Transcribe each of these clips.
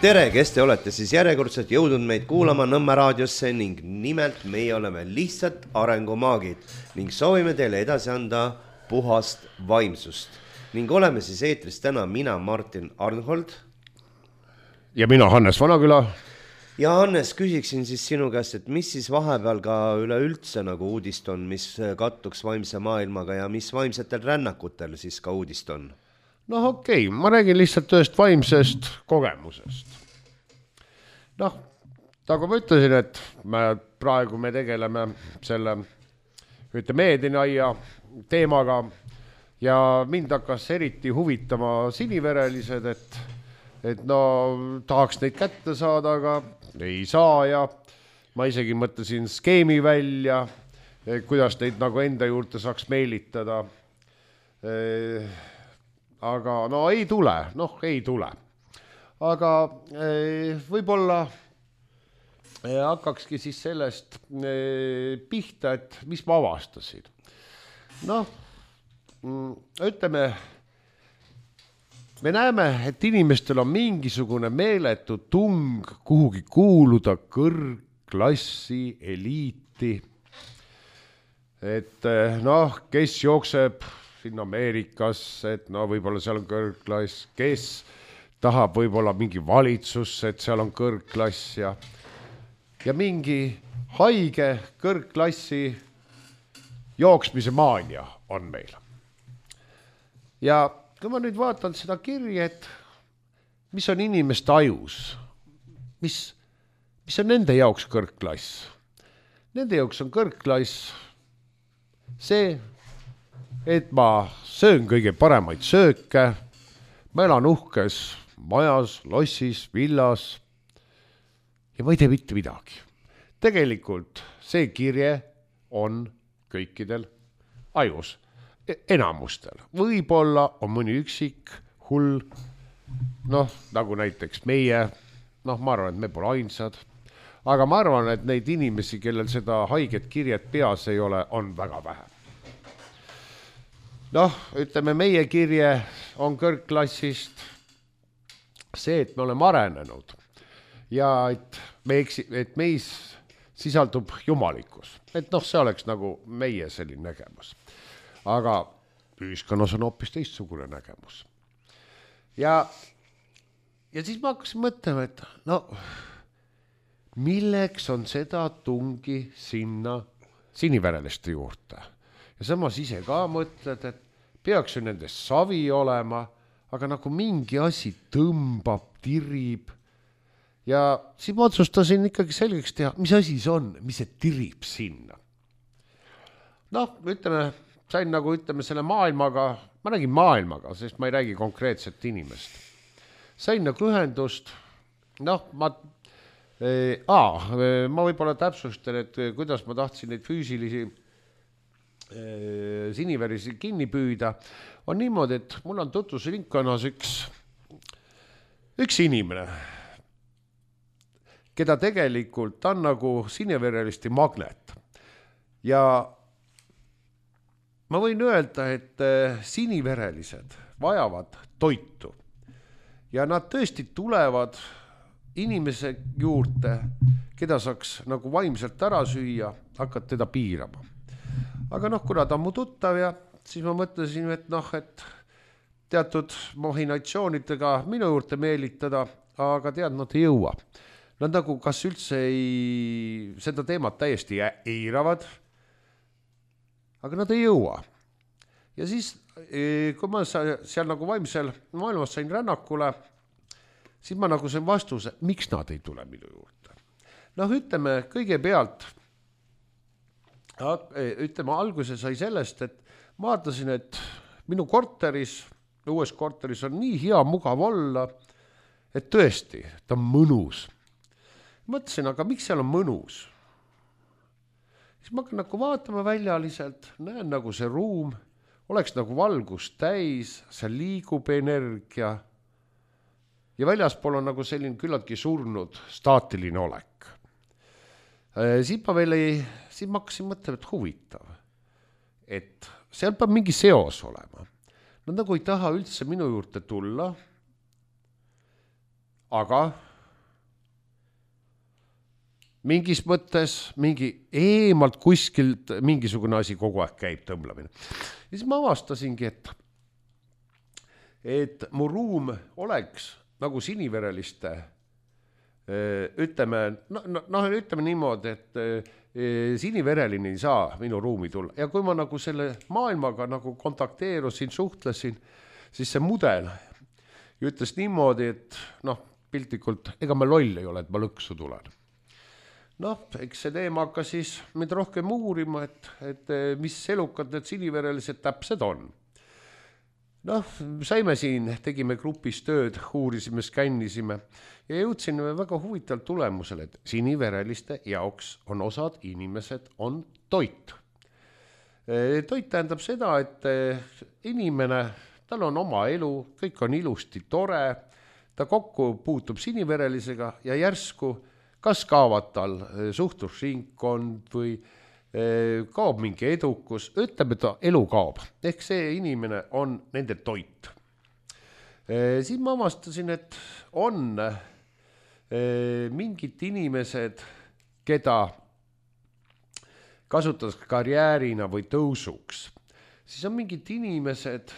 Tere, kes te olete siis järjekordselt jõudnud meid kuulama Nõmme raadiosse ning nimelt meie oleme lihtsalt arengumaagid ning soovime teile edasi anda puhast vaimsust. Ning oleme siis eetris täna mina, Martin Arnhold. Ja mina, Hannes Vanaküla. Ja Hannes, küsiksin siis sinu käest, et mis siis vahepeal ka üleüldse nagu uudist on, mis kattuks vaimse maailmaga ja mis vaimsetel rännakutel siis ka uudist on? No okei, ma räägin lihtsalt ühest vaimsest kogemusest. Nagu ma ütlesin, et praegu me tegeleme selle meedinaia teemaga ja mind hakkas eriti huvitama siniverelised, et tahaks neid kätte saada, aga ei saa ja ma isegi mõtlesin skeemi välja, kuidas neid nagu enda juurde saaks meelitada. Aga ei tule. Aga võib-olla hakkakski siis sellest pihta, et mis ma avastasin. Ütleme, me näeme, et inimestel on mingisugune meeletu tung kuhugi kuuluda kõrgklassi, eliiti. Et kes jookseb siin Ameerikas, et võib-olla seal on kõrgklass, kes tahab võib-olla mingi valitsusse, et seal on kõrgklass ja mingi haige kõrgklassi jooksmise maania on meil. Ja kui ma nüüd vaatan seda kirja, et mis on inimeste ajus, mis on nende jaoks kõrgklass? Nende jaoks on kõrgklass see, et ma söön kõige paremaid sööke, ma elan uhkes majas, lossis, villas ja ma ei tee mitte midagi. Tegelikult see kirje on kõikidel ajus, enamustel. Võib-olla on mõni üksik hull, nagu näiteks meie, ma arvan, et me pole ainsad, aga ma arvan, et neid inimesi, kellel seda haiget kirjet peas ei ole, on väga vähe. Ütleme, meie kirje on kõrgklassist see, et me oleme arenenud ja et meis sisaldub jumalikkus. Et see oleks nagu meie selline nägemus. Aga ühiskonnas on hoopis teistsugune nägemus. Ja siis ma hakkasin mõtlema, et milleks on seda tungi sinna sinivereliste juurde. Ja samas ise ka mõtled, et peaks ju nendest savi olema, aga nagu mingi asi tõmbab, tirib. Ja siis ma otsustasin ikkagi selgeks teha, mis asi see on, mis see tirib sinna. Sain selle maailmaga, ma räägin maailmaga, sest ma ei räägi konkreetset inimest. Sain nagu ühendust, ma võib-olla täpsustan, et kuidas ma tahtsin neid füüsilisi siniverisi kinni püüda, on niimoodi, et mul on tutvusringkonnas üks inimene, keda tegelikult on nagu siniverelisti magnet. Ja ma võin öelda, et siniverelised vajavad toitu ja nad tõesti tulevad inimese juurde, keda saaks nagu vaimselt ära süüa, hakkad teda piirama. Aga kuna ta on mu tuttav ja siis ma mõtlesin, et teatud mahinatsioonidega minu juurde meelitada, aga nad ei jõua. Nad nagu kas üldse seda teemat täiesti eiravad, aga nad ei jõua. Ja siis, kui ma seal nagu vaimsel maailmas sain rännakule, siis ma nagu sain vastuse, miks nad ei tule minu juurde. Ütleme kõigepealt, alguse sai sellest, et ma vaatasin, et minu uues korteris on nii hea mugav olla, et tõesti, ta on mõnus. Mõtlesin, aga miks seal on mõnus? Siis ma hakkan nagu vaatama väljaliselt, näen nagu see ruum, oleks nagu valgus täis, seal liigub energia ja väljaspool on nagu selline küllaltki surnud staatiline olek. Siis ma hakkasin mõtlema, et huvitav, et seal peab mingi seos olema. Nad nagu ei taha üldse minu juurde tulla, aga mingis mõttes mingi eemalt kuskilt mingisugune asi kogu aeg käib, tõmblamine. Ja siis ma avastasingi, et mu ruum oleks nagu sinivereliste, ütleme niimoodi, et sinivereline ei saa minu ruumi tulla. Ja kui ma nagu selle maailmaga nagu kontakteerusin, suhtlesin, siis see mudel ütles niimoodi, et piltlikult, ega ma loll ei ole, et ma lõksu tulen. Eks see teema hakkas siis mind rohkem uurima, et mis elukad need siniverelised täpsed on. Saime siin, tegime grupis tööd, uurisime, skännisime ja jõudsime väga huvitaval tulemusele, et sinivereliste jaoks on osad inimesed on toit. Toit tähendab seda, et inimene, tal on oma elu, kõik on ilusti tore, ta kokku puutub siniverelisega ja järsku kas kaovad tal suhtlusringkond või kaob mingi edukus, ütleme ta elu kaob, ehk see inimene on nende toit. Siin ma avastasin, et on mingid inimesed, keda kasutatakse karjäärina või tõusuks, siis on mingid inimesed,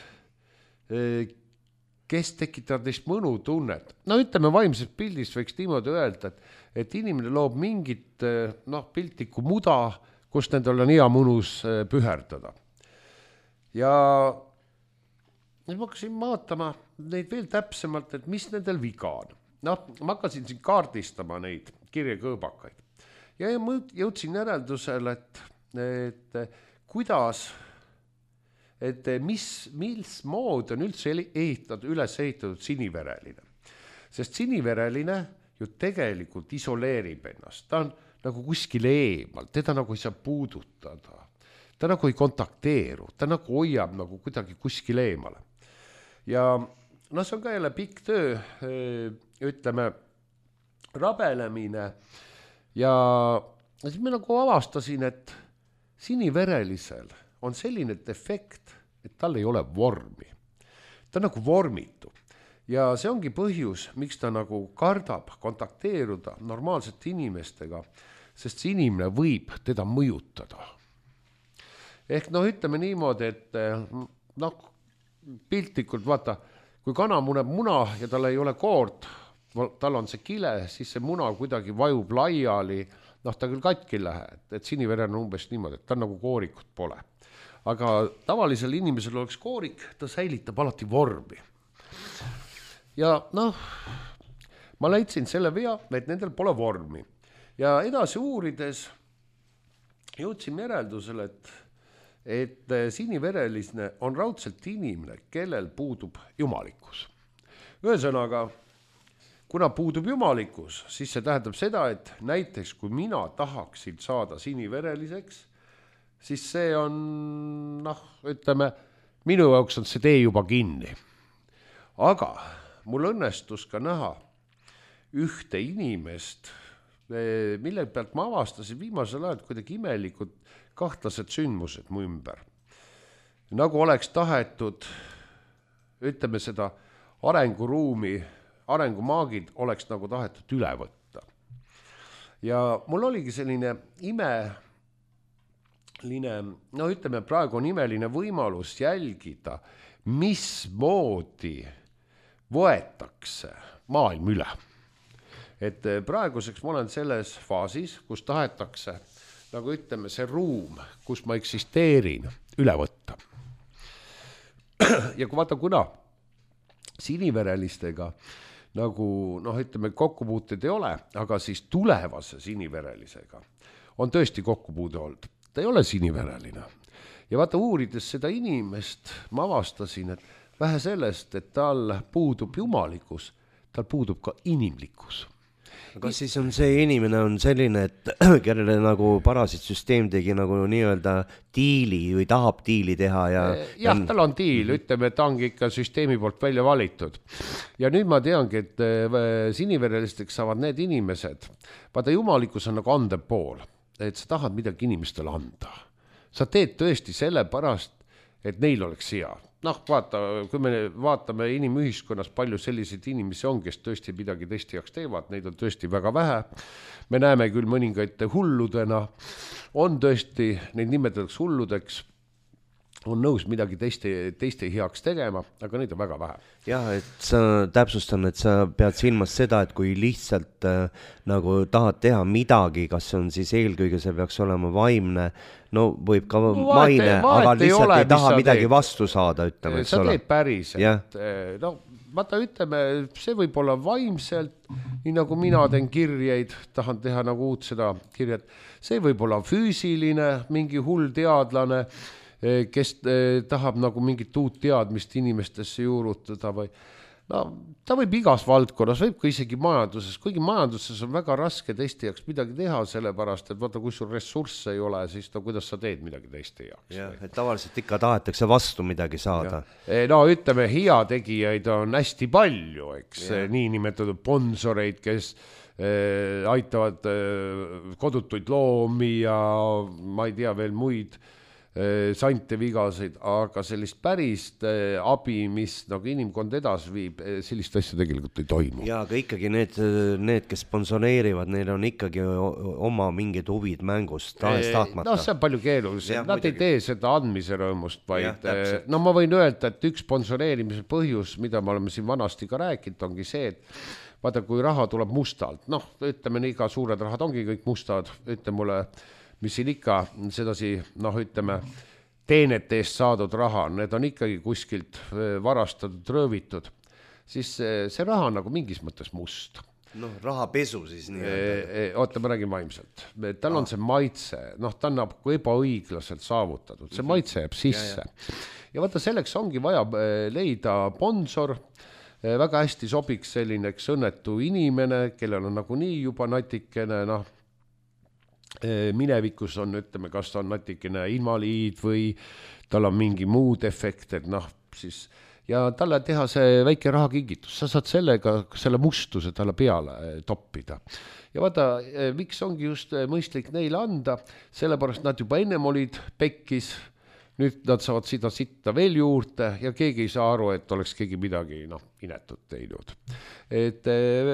kes tekitavad neist mõnutunnet. Ütleme vaimses pildis võiks niimoodi öelda, et inimene loob mingit piltlikku muda, kus nendel on hea mõnus püherdada. Ja ma hakkasin vaatama neid veel täpsemalt, et mis nendel viga on. Ma hakkasin siin kaardistama neid kirjakõõbakaid. Ja ma jõudsin järeldusele, et kuidas, et mis mood on üldse üles ehitatud sinivereline. Sest sinivereline ju tegelikult isoleerib ennast. Ta on nagu kuskil eemal, teda nagu ei saa puudutada. Ta nagu ei kontakteeru, ta nagu hoiab nagu kuidagi kuskil eemale. Ja see on ka jälle pikk töö, ütleme, rabelemine. Ja siis ma nagu avastasin, et siniverelisel on selline defekt, et tal ei ole vormi. Ta on nagu vormitu. Ja see ongi põhjus, miks ta nagu kardab kontakteeruda normaalsete inimestega, sest see inimene võib teda mõjutada. Ehk ütleme niimoodi, et piltlikult vaata, kui kana muneb muna ja tal ei ole koort, tal on see kile, siis see muna kuidagi vajub laiali, ta küll katki lähe, et siniverel on umbes niimoodi, et ta nagu koorikut pole. Aga tavalisel inimesel oleks koorik, ta säilitab alati vormi. Ja ma leidsin selle vea, et nendel pole vormi. Ja edasi uurides jõudsin järeldusele, et sinivereline on raudselt inimene, kellel puudub jumalikkus. Ühesõnaga, kuna puudub jumalikkus, siis see tähendab seda, et näiteks kui mina tahaksin saada sinivereliseks, siis see on, ütleme, minu jaoks on see tee juba kinni. Aga mul õnnestus ka näha ühte inimest, mille pealt ma avastasin viimasel ajal kuidagi imelikud kahtlased sündmused mu ümber. Nagu oleks tahetud, ütleme seda arenguruumi, arengumaagid oleks nagu tahetud üle võtta. Ja mul oligi selline ütleme praegu on imeline võimalus jälgida, mismoodi võetakse maailm üle. Et praeguseks ma olen selles faasis, kus tahetakse, nagu ütleme, see ruum, kus ma eksisteerin, üle võtta. Ja kui vaata, kuna siniverelistega nagu, ütleme, kokkupuuted ei ole, aga siis tulevase siniverelisega on tõesti kokkupuude olnud. Ta ei ole sinivereline. Ja vaata, uurides seda inimest, ma avastasin, et vähe sellest, et tal puudub jumalikkus, tal puudub ka inimlikkus. Kas siis on see inimene on selline, et kellele nagu parasitsüsteem tegi nagu nii-öelda diili või tahab diili teha? Jah, tal on diil, ütleme, et ta ongi ikka süsteemi poolt välja valitud. Ja nüüd ma teangi, et siniverelisteks saavad need inimesed. Vaata, jumalikkus on nagu andev pool, et sa tahad midagi inimestele anda. Sa teed tõesti selle pärast, et neil oleks hea. noh, vaata, kui me vaatame inimühiskonnas, palju selliseid inimesi on, kes tõesti midagi teiste jaoks teevad, neid on tõesti väga vähe. Me näeme küll mõningaid hulludena, on tõesti, neid nimetatakse hulludeks, on nõus midagi teiste heaks tegema, aga neid on väga vähe. Jah, et sa täpsustan, et sa pead silmas seda, et kui lihtsalt nagu tahad teha midagi, kas on siis eelkõige see peaks olema vaimne, no võib ka maine, aga lihtsalt ei taha midagi vastu saada, ütleme, eks sa ole. teed päriselt. No, vaata, ütleme, see võib olla vaimselt, nii nagu mina teen kirjeid, tahan teha nagu uut seda kirjat, see võib olla füüsiline, mingi hull teadlane, kes tahab nagu mingit uut teadmist inimestesse juurutada või no ta võib igas valdkonnas, võib ka isegi majanduses, kuigi majanduses on väga raske teiste jaoks midagi teha, sellepärast, et vaata, kui sul ressursse ei ole, siis no kuidas sa teed midagi teiste jaoks. Jah, et tavaliselt ikka tahetakse vastu midagi saada. No ütleme, heategijaid on hästi palju, eks, niinimetatud sponsoreid, kes aitavad kodutuid loomi ja ma ei tea veel muid sante vigaseid, aga sellist pärist abi, mis nagu inimkond edasi viib, sellist asja tegelikult ei toimu. Ja, aga ikkagi need, kes sponsoreerivad, neil on ikkagi oma mingid huvid mängust, tahtmata. No see on palju keerulisem, nad ei tee seda andmise rõõmust, vaid no ma võin öelda, et üks sponsoreerimise põhjus, mida me oleme siin vanasti ka rääkinud, ongi see, et vaata, kui raha tuleb mustalt, noh, ütleme, iga suured rahad ongi kõik mustad, ütle mulle, mis siin ikka sedasi, noh, ütleme, teenete eest saadud raha, need on ikkagi kuskilt varastatud, röövitud, siis see raha on nagu mingis mõttes must. Noh, rahapesu siis nii. Oota, ma räägin vaimselt. Tal on see maitse, noh, ta on nagu ebaõiglaselt saavutatud, see maitse jääb sisse. Ja vaata, selleks ongi vaja leida sponsor, väga hästi sobiks selline õnnetu inimene, kellel on nagu nii juba natikene, noh, minevikus on, ütleme, kas ta on natikene invaliid või tal on mingi muud efekt, et noh, siis ja talle teha see väike rahakingitus, sa saad sellega, selle mustuse talle peale toppida. Ja vaata, miks ongi just mõistlik neile anda, sellepärast nad juba ennem olid pekkis, nüüd nad saavad seda sitta veel juurde ja keegi ei saa aru, et oleks keegi midagi inetut teinud. Et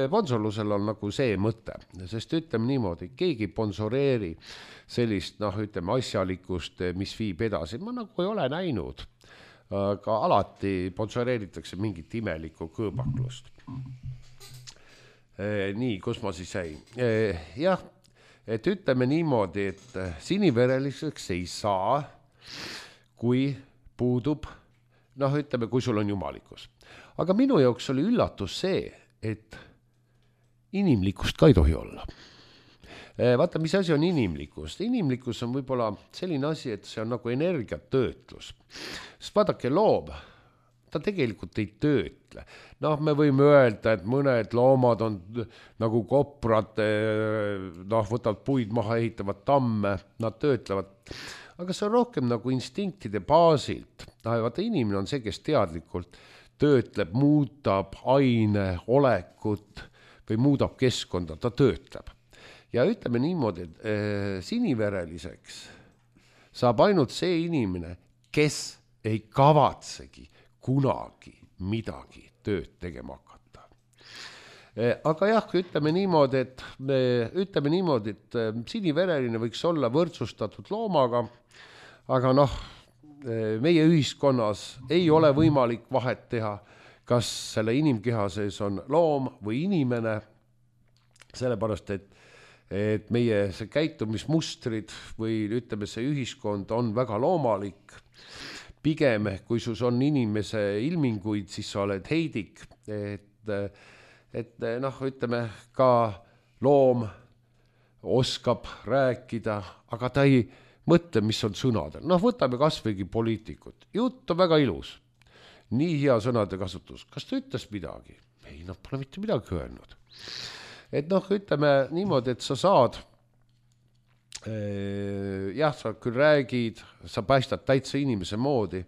sponsorlusel on nagu see mõte, sest ütleme niimoodi, keegi sponsoreeri sellist, ütleme, asjalikust, mis viib edasi. Ma nagu ei ole näinud, aga alati sponsoreeritakse mingit imelikku kõõbaklust. Nii, kus ma siis jäin? Jah, et ütleme niimoodi, et sinivereliseks ei saa, kui puudub, ütleme, kui sul on jumalikus. Aga minu jaoks oli üllatus see, et inimlikkust ka ei tohi olla. Vaata, mis asi on inimlikkus? Inimlikkus on võib-olla selline asi, et see on nagu energiatöötlus. Sest vaadake, loom, ta tegelikult ei töötle. Me võime öelda, et mõned loomad on nagu koprad, võtavad puid maha, ehitavad tamme, nad töötlevad. Aga see on rohkem nagu instinktide baasilt. Vaata, inimene on see, kes teadlikult töötleb, muudab aine, olekut või muudab keskkonda, ta töötleb. Ja ütleme niimoodi, et sinivereliseks saab ainult see inimene, kes ei kavatsegi kunagi midagi tööd tegema hakata. Aga jah, ütleme niimoodi, et sinivereline võiks olla võrdsustatud loomaga, aga meie ühiskonnas ei ole võimalik vahet teha, kas selle inimkeha sees on loom või inimene, sellepärast, et meie see käitumismustrid või ütleme, see ühiskond on väga loomalik. Pigem, kui sus on inimese ilminguid, siis sa oled heidik, et ütleme, ka loom oskab rääkida, aga ta ei mõtle, mis on sõnadel. Võtame kasvõigi poliitikut. Jutt on väga ilus. Nii hea sõnade kasutus. Kas ta ütles midagi? Ei, pole mitte midagi öelnud. Et ütleme niimoodi, et sa saad, sa küll räägid, sa paistad täitsa inimese moodi,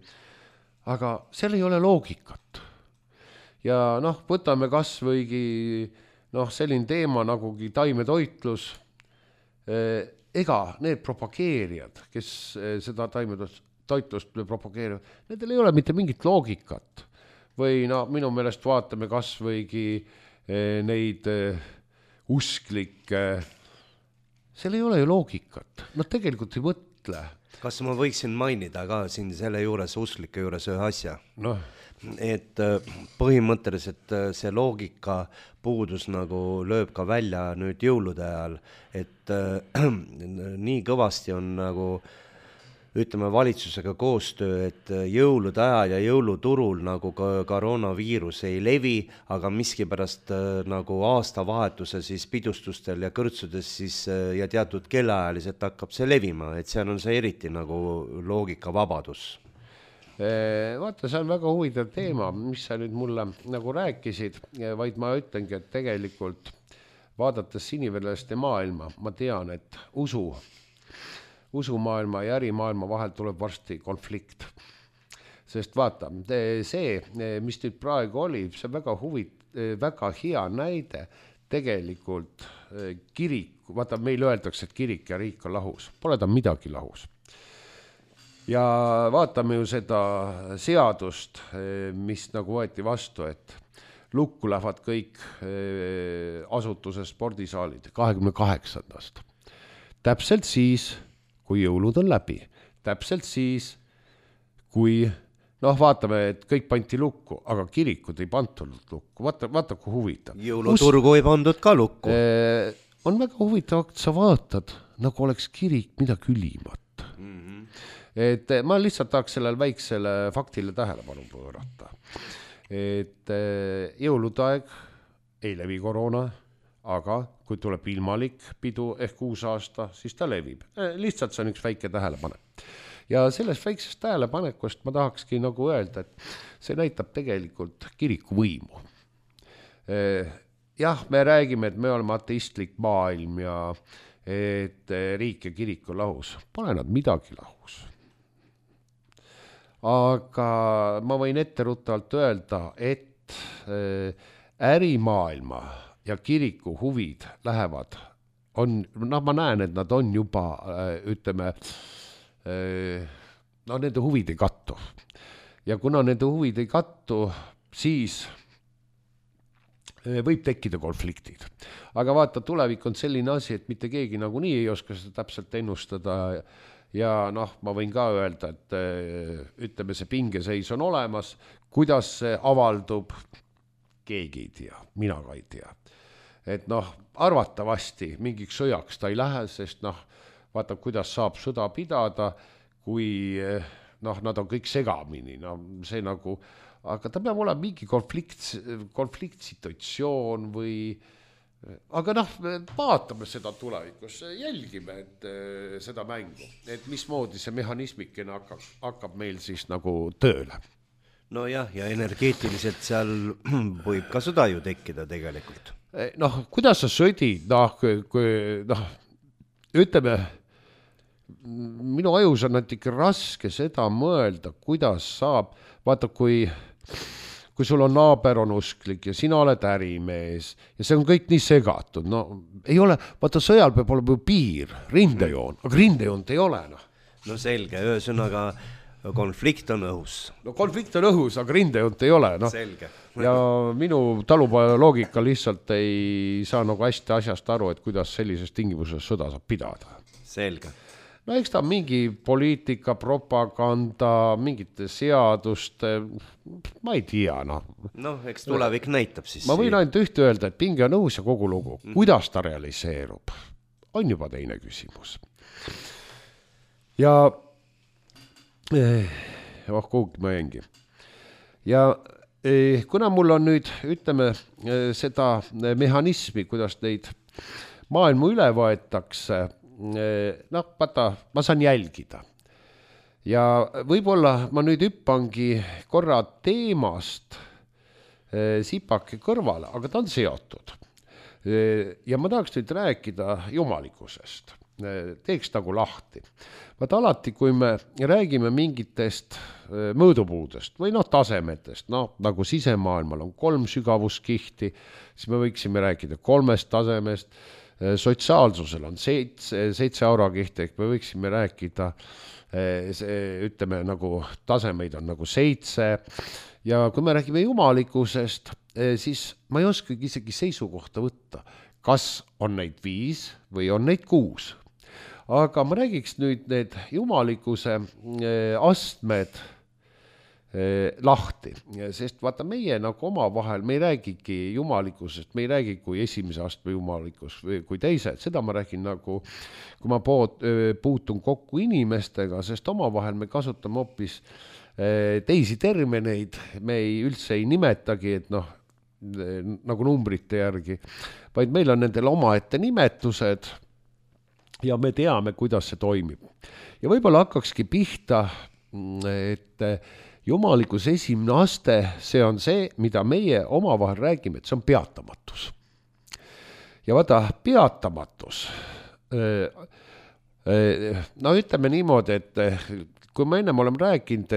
aga seal ei ole loogikat. Ja võtame kasvõigi selline teema nagugi taimetoitlus, ega need propageerijad, kes seda taimetoitlust, toitlust propageerivad, nendel ei ole mitte mingit loogikat. Või minu meelest vaatame kas võigi neid usklikke, seal ei ole ju loogikat, nad tegelikult ei mõtle. Kas ma võiksin mainida ka siin selle juures, usklike juures ühe asja? Et põhimõtteliselt see loogika puudus nagu lööb ka välja nüüd jõulude ajal, et nii kõvasti on nagu ütleme valitsusega koostöö, et jõulude ajal ja jõuluturul nagu koroonaviirus ei levi, aga miskipärast nagu aastavahetuse siis pidustustel ja kõrtsudes siis ja teatud kellaajaliselt hakkab see levima, et seal on see eriti nagu loogikavabadus. Vaata, see on väga huvitav teema, mis sa nüüd mulle nagu rääkisid, vaid ma ütlengi, et tegelikult vaadates siniverelaste maailma, ma tean, et usumaailma ja ärimaailma vahel tuleb varsti konflikt. Sest vaata, see, mis nüüd praegu oli, see on väga hea näide tegelikult kirik, vaata meil öeldakse, et kirik ja riik on lahus, pole ta midagi lahus. Ja vaatame ju seda seadust, mis nagu võeti vastu, et lukku lähevad kõik asutuse spordisaalid 28. Täpselt siis, kui jõulud on läbi. Täpselt siis, kui, vaatame, et kõik pandi lukku, aga kirikud ei pandud lukku. Vaata kui huvitav. Jõuluturgu ei pandud ka lukku. On väga huvitav, et sa vaatad, nagu oleks kirik midagi ülimat. Et ma lihtsalt tahaks sellele väiksele faktile tähelepanu pöörata. Et jõulude aeg ei levi koroona, aga kui tuleb ilmalik pidu ehk uus aasta, siis ta levib. Lihtsalt see on üks väike tähelepanek. Ja sellest väiksest tähelepanekust ma tahakski nagu öelda, et see näitab tegelikult kiriku võimu. Jah, me räägime, et me oleme ateistlik maailm ja et riik ja kirik on lahus. Pole nad midagi lahus. Aga ma võin etteruttavalt öelda, et ärimaailma ja kiriku huvid lähevad, ma näen, et nad on juba, ütleme, nende huvid ei kattu. Ja kuna nende huvid ei kattu, siis võib tekkida konfliktid. Aga vaata, tulevik on selline asi, et mitte keegi nagu nii ei oska seda täpselt ennustada. Ja ma võin ka öelda, et ütleme, see pingeseis on olemas, kuidas see avaldub, keegi ei tea, mina ka ei tea. Et arvatavasti mingiks sõjaks ta ei lähe, sest vaata, kuidas saab sõda pidada, kui nad on kõik segamini, see nagu, aga ta peab olema mingi konfliktsituatsioon või aga vaatame seda tulevikus, jälgime seda mängu, et mismoodi see mehhanismikene hakkab meil siis nagu tööle. No jah, ja energeetiliselt seal võib ka sõda ju tekkida tegelikult. Kuidas sa sõdid, ütleme, minu ajus on natuke raske seda mõelda, kuidas saab, vaata kui sul on naaber on usklik ja sina oled ärimees ja see on kõik nii segatud, ei ole, vaata sõjal peab olema ju piir, rindejoon, aga rindejoont ei ole. No selge, ühesõnaga konflikt on õhus. Konflikt on õhus, aga rindejoont ei ole. Selge. Ja minu talupoja loogika lihtsalt ei saa nagu hästi asjast aru, et kuidas sellises tingimuses sõda saab pidada. Selge. Eks ta mingi poliitika, propaganda, mingite seaduste, ma ei tea. Eks tulevik näitab siis. Ma võin ainult ühte öelda, et pinge on õhus ja kogu lugu. Kuidas ta realiseerub, on juba teine küsimus. Ja kuhugi ma jängi. Ja kuna mul on nüüd, ütleme, seda mehhanismi, kuidas neid maailmu üle võetakse, vaata, ma saan jälgida. Ja võib-olla ma nüüd hüppangi korra teemast sipake kõrvale, aga ta on seotud. Ja ma tahaks nüüd rääkida jumalikkusest. Teeks nagu lahti. Vaata alati, kui me räägime mingitest mõõdupuudest või tasemetest, nagu sisemaailmal on 3 sügavuskihti, siis me võiksime rääkida 3 tasemest, sotsiaalsusel on 7 eurokiht, ehk me võiksime rääkida, ütleme nagu tasemeid on nagu 7 ja kui me räägime jumalikkusest, siis ma ei oskagi isegi seisukohta võtta, kas on neid 5 või on neid 6. Aga ma räägiks nüüd need jumalikkuse astmed lahti, sest vaata meie nagu oma vahel, me ei räägigi jumalikkusest, me ei räägi kui esimese astme jumalikkus või kui teised, seda ma räägin nagu, kui ma puutun kokku inimestega, sest oma vahel me kasutame hoopis teisi termineid, me üldse ei nimetagi, et noh, nagu numbrite järgi, vaid meil on nendel omaette nimetused ja me teame, kuidas see toimib. Ja võib-olla hakkakski pihta, et jumalikkuse esimene aste, see on see, mida meie omavahel räägime, et see on peatamatus. Ja vaata, peatamatus, no ütleme niimoodi, et kui me ennem oleme rääkinud,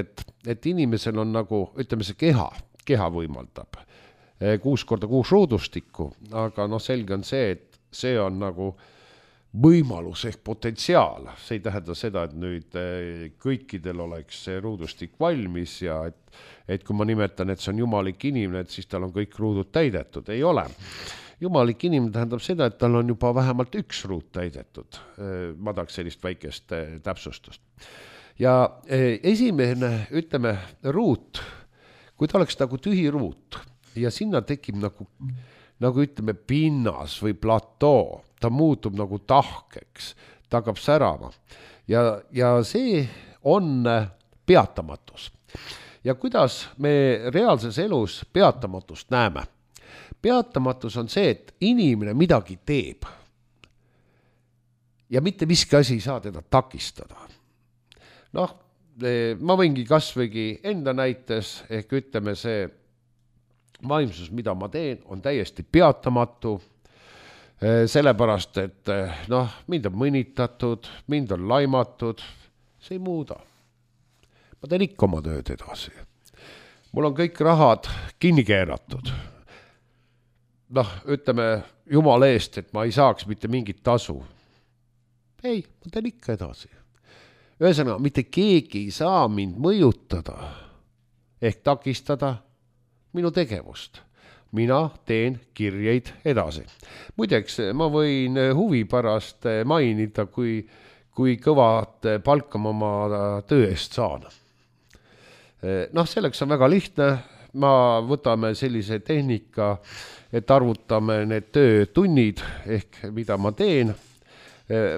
et inimesel on nagu, ütleme see keha võimaldab 6x6 ruudustikku, aga noh, selge on see, et see on nagu võimalus ehk potentsiaal, see ei tähenda seda, et nüüd kõikidel oleks see ruudustik valmis ja et kui ma nimetan, et see on jumalik inimene, et siis tal on kõik ruudud täidetud, ei ole. Jumalik inimene tähendab seda, et tal on juba vähemalt 1 ruud täidetud, ma tahaks sellist väikest täpsustust. Ja esimene, ütleme, ruut, kui ta oleks nagu tühi ruut ja sinna tekib nagu ütleme pinnas või platoo, ta muutub nagu tahkeks, ta hakkab särama ja see on peatamatus. Ja kuidas me reaalses elus peatamatust näeme? Peatamatus on see, et inimene midagi teeb ja mitte miski asi ei saa teda takistada. Noh, ma võingi kasvõigi enda näites, ehk ütleme see vaimsus, mida ma teen, on täiesti peatamatu, sellepärast, et noh, mind on mõnitatud, mind on laimatud, see ei muuda. Ma teen ikka oma tööd edasi. Mul on kõik rahad kinni keeratud. Noh, ütleme Jumala eest, et ma ei saaks mitte mingit tasu. Ei, ma teen ikka edasi. Ühesõnaga, mitte keegi ei saa mind mõjutada ehk takistada minu tegevust. Mina teen kirjeid edasi. Muideks, ma võin huvi pärast mainida, kui kõvad palka ma oma töö eest saan. Noh, selleks on väga lihtne. Võtame sellise tehnika, et arvutame need töötunnid ehk mida ma teen.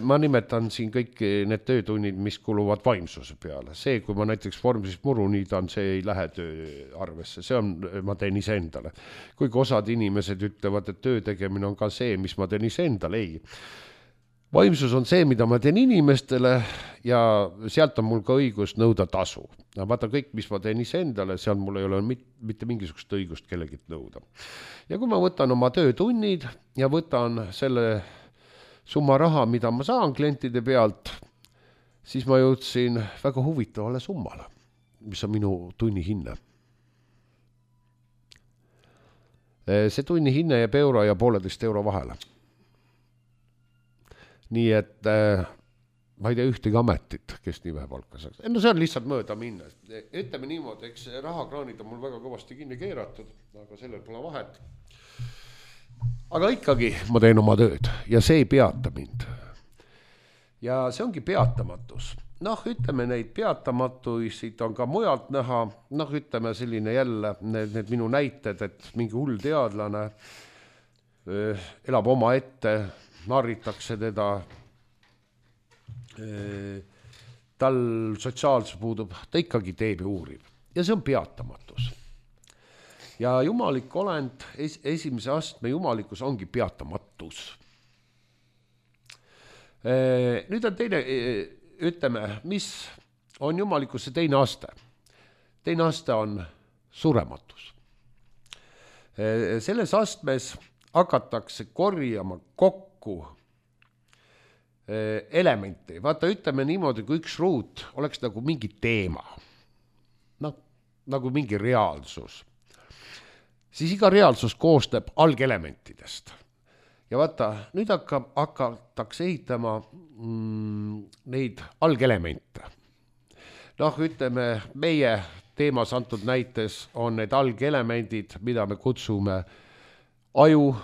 Ma nimetan siin kõik need töötunnid, mis kuluvad vaimsuse peale. See, kui ma näiteks vormsist muru niidan, see ei lähe töö arvesse. See on, ma teen iseendale. Kuigi osad inimesed ütlevad, et töö tegemine on ka see, mis ma teen iseendale. Ei. Vaimsus on see, mida ma teen inimestele ja sealt on mul ka õigus nõuda tasu. Vaata kõik, mis ma teen iseendale, seal mul ei ole mitte mingisugust õigust kellegit nõuda. Ja kui ma võtan oma töötunnid ja võtan selle summa raha, mida ma saan klientide pealt, siis ma jõudsin väga huvitavale summale, mis on minu tunni hinne. See tunni hinne jääb euro ja 1,5 euro vahele. Nii et ma ei tea ühtegi ametit, kes nii vähe palka saaks. No see on lihtsalt mööda minna. Ütleme niimoodi, eks rahakraanid on mul väga kõvasti kinni keeratud, aga sellel pole vahet. Aga ikkagi ma teen oma tööd ja see ei peata mind. Ja see ongi peatamatus. Noh, ütleme neid peatamatuisid on ka mujalt näha. Noh, ütleme selline jälle need minu näited, et mingi hull teadlane elab oma ette, narritakse teda, tal sotsiaalsus puudub, ta ikkagi teeb ja uurib. Ja see on peatamatus. Ja jumalik olend, esimese astme jumalikkus ongi peatamatus. Nüüd on teine, ütleme, mis on jumalikkuse teine aste. Teine aste on surematus. Selles astmes hakatakse korjama kokku elementi. Vaata, ütleme niimoodi, kui üks ruut oleks nagu mingi teema. Noh, nagu mingi reaalsus. Siis iga reaalsus koosneb algelementidest. ja vaata, nüüd hakatakse ehitama neid algelemente. Noh, ütleme, meie teemas antud näites on need algelemendid, mida me kutsume aju,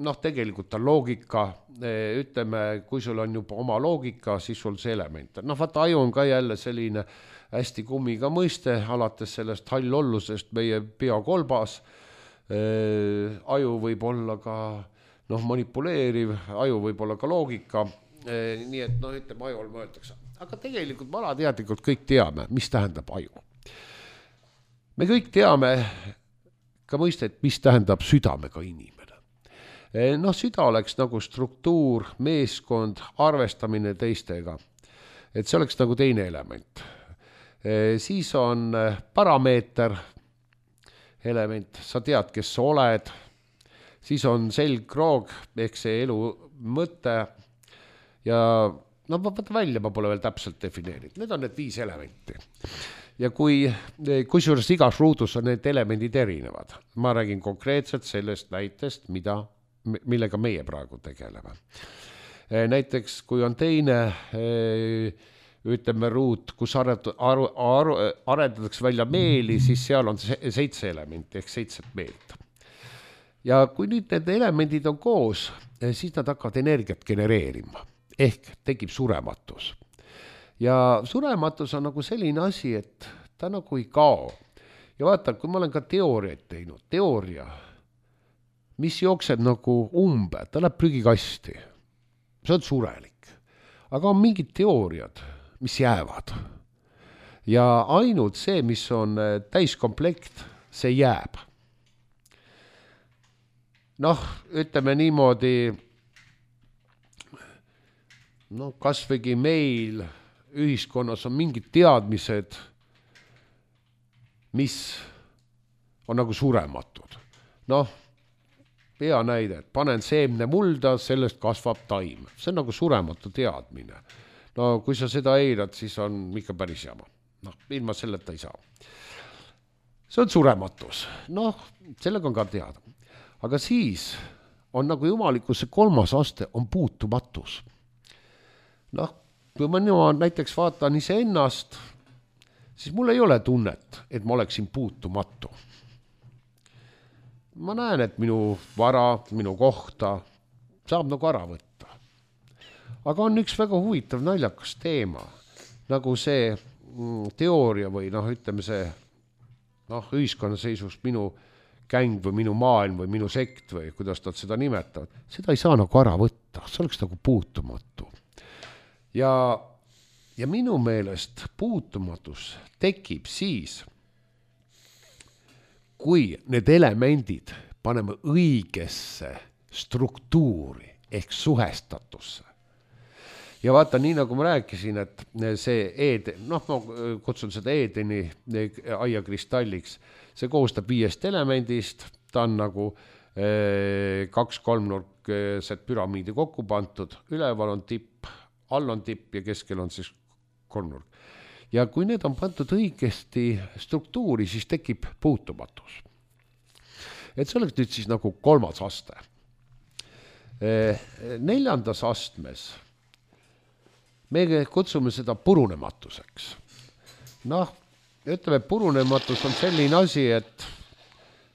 noh, tegelikult on loogika, ütleme, kui sul on juba oma loogika, siis sul see element. Noh, vaata, aju on ka jälle selline hästi kummiga mõiste, alates sellest hallollusest meie peakolbas. Aju võib olla ka manipuleeriv, aju võib olla ka loogika, nii et ütleme, ajul mõeldakse. Aga tegelikult me alateadlikult kõik teame, mis tähendab aju. Me kõik teame ka mõistet, mis tähendab südamega inimene. Süda oleks nagu struktuur, meeskond, arvestamine teistega. Et see oleks nagu teine element. Siis on parameeter element, sa tead, kes sa oled. Siis on selgroog, ehk see elu mõte ja vaata välja, ma pole veel täpselt defineerinud. Need on need 5 elementi. Ja kui suures igas ruudus on need elemendid erinevad, ma räägin konkreetselt sellest näitest, millega meie praegu tegeleme. Näiteks, kui on teine, ütleme, ruut, kus arendatakse välja meeli, siis seal on 7 elementi ehk 7 meelt. Ja kui nüüd need elemendid on koos, siis nad hakkavad energiat genereerima, ehk tekib surematus. Ja surematus on nagu selline asi, et ta nagu ei kao. Ja vaata, kui ma olen ka teooriaid teinud, teooria, mis jookseb nagu umbe, ta läheb prügikasti. See on surelik. Aga on mingid teooriad, mis jäävad. Ja ainult see, mis on täiskomplekt, see jääb. Ütleme niimoodi, kasvõigi meil ühiskonnas on mingid teadmised, mis on nagu surematud. Hea näide, et panen seemne mulda, sellest kasvab taim. See on nagu surematu teadmine. Kui sa seda eirad, siis on ikka päris jama. Ilma selleta ei saa. See on surematus. Sellega on ka teada. Aga siis on nagu jumalikkuse 3. aste on puutumatus. Kui ma näiteks vaatan iseennast, siis mul ei ole tunnet, et ma oleksin puutumatu. Ma näen, et minu vara, minu kohta saab nagu ära võtta. Aga on üks väga huvitav naljakas teema, nagu see teooria või ütleme see ühiskonnaseisust minu käng või minu maailm või minu sekt või kuidas nad seda nimetavad. Seda ei saa nagu ära võtta, see oleks nagu puutumatu. Ja minu meelest puutumatus tekib siis, kui need elemendid paneme õigesse struktuuri ehk suhestatusse. Ja vaata, nii nagu ma rääkisin, et see ma kutsun seda Edeni aia kristalliks, see koostab 5 elemendist, ta on nagu 2 kolmnurksed püramiidi kokku pantud, üleval on tipp, all on tipp ja keskel on siis kolmnurk. Ja kui need on pandud õigesti struktuuri, siis tekib puutumatus. Et see oleks nüüd siis nagu 3. aste. 4. astmes me kutsume seda purunematuseks. Ütleme, purunematus on selline asi,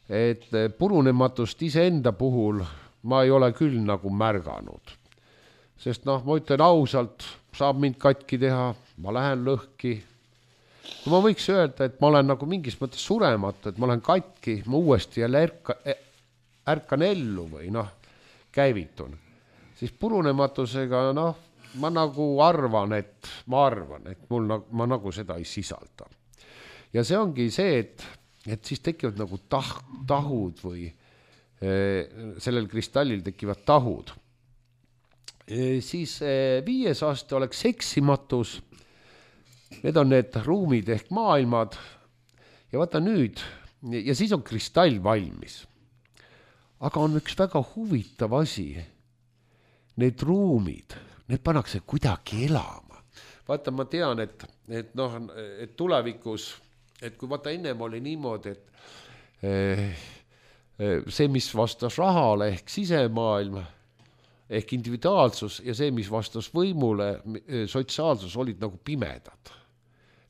et purunematust iseenda puhul ma ei ole küll nagu märganud. Sest ma ütlen ausalt, saab mind katki teha, ma lähen lõhki. Kui ma võiks öelda, et ma olen nagu mingis mõttes surematu, et ma olen katki, ma uuesti jälle ärkan ellu või käivitun. Siis purunematusega ma nagu arvan, et ma nagu seda ei sisalda. Ja see ongi see, et siis tekivad nagu tahud või sellel kristallil tekivad tahud. Siis 5. aste oleks seksimatus. Need on need ruumid ehk maailmad. Ja vaata nüüd, ja siis on kristall valmis. Aga on üks väga huvitav asi. Need ruumid, need pannakse kuidagi elama. Vaata, ma tean, et tulevikus, et kui vaata ennem oli niimoodi, et see, mis vastas rahale ehk sisemaailm, ehk individuaalsus ja see, mis vastas võimule, sotsiaalsus olid nagu pimedad.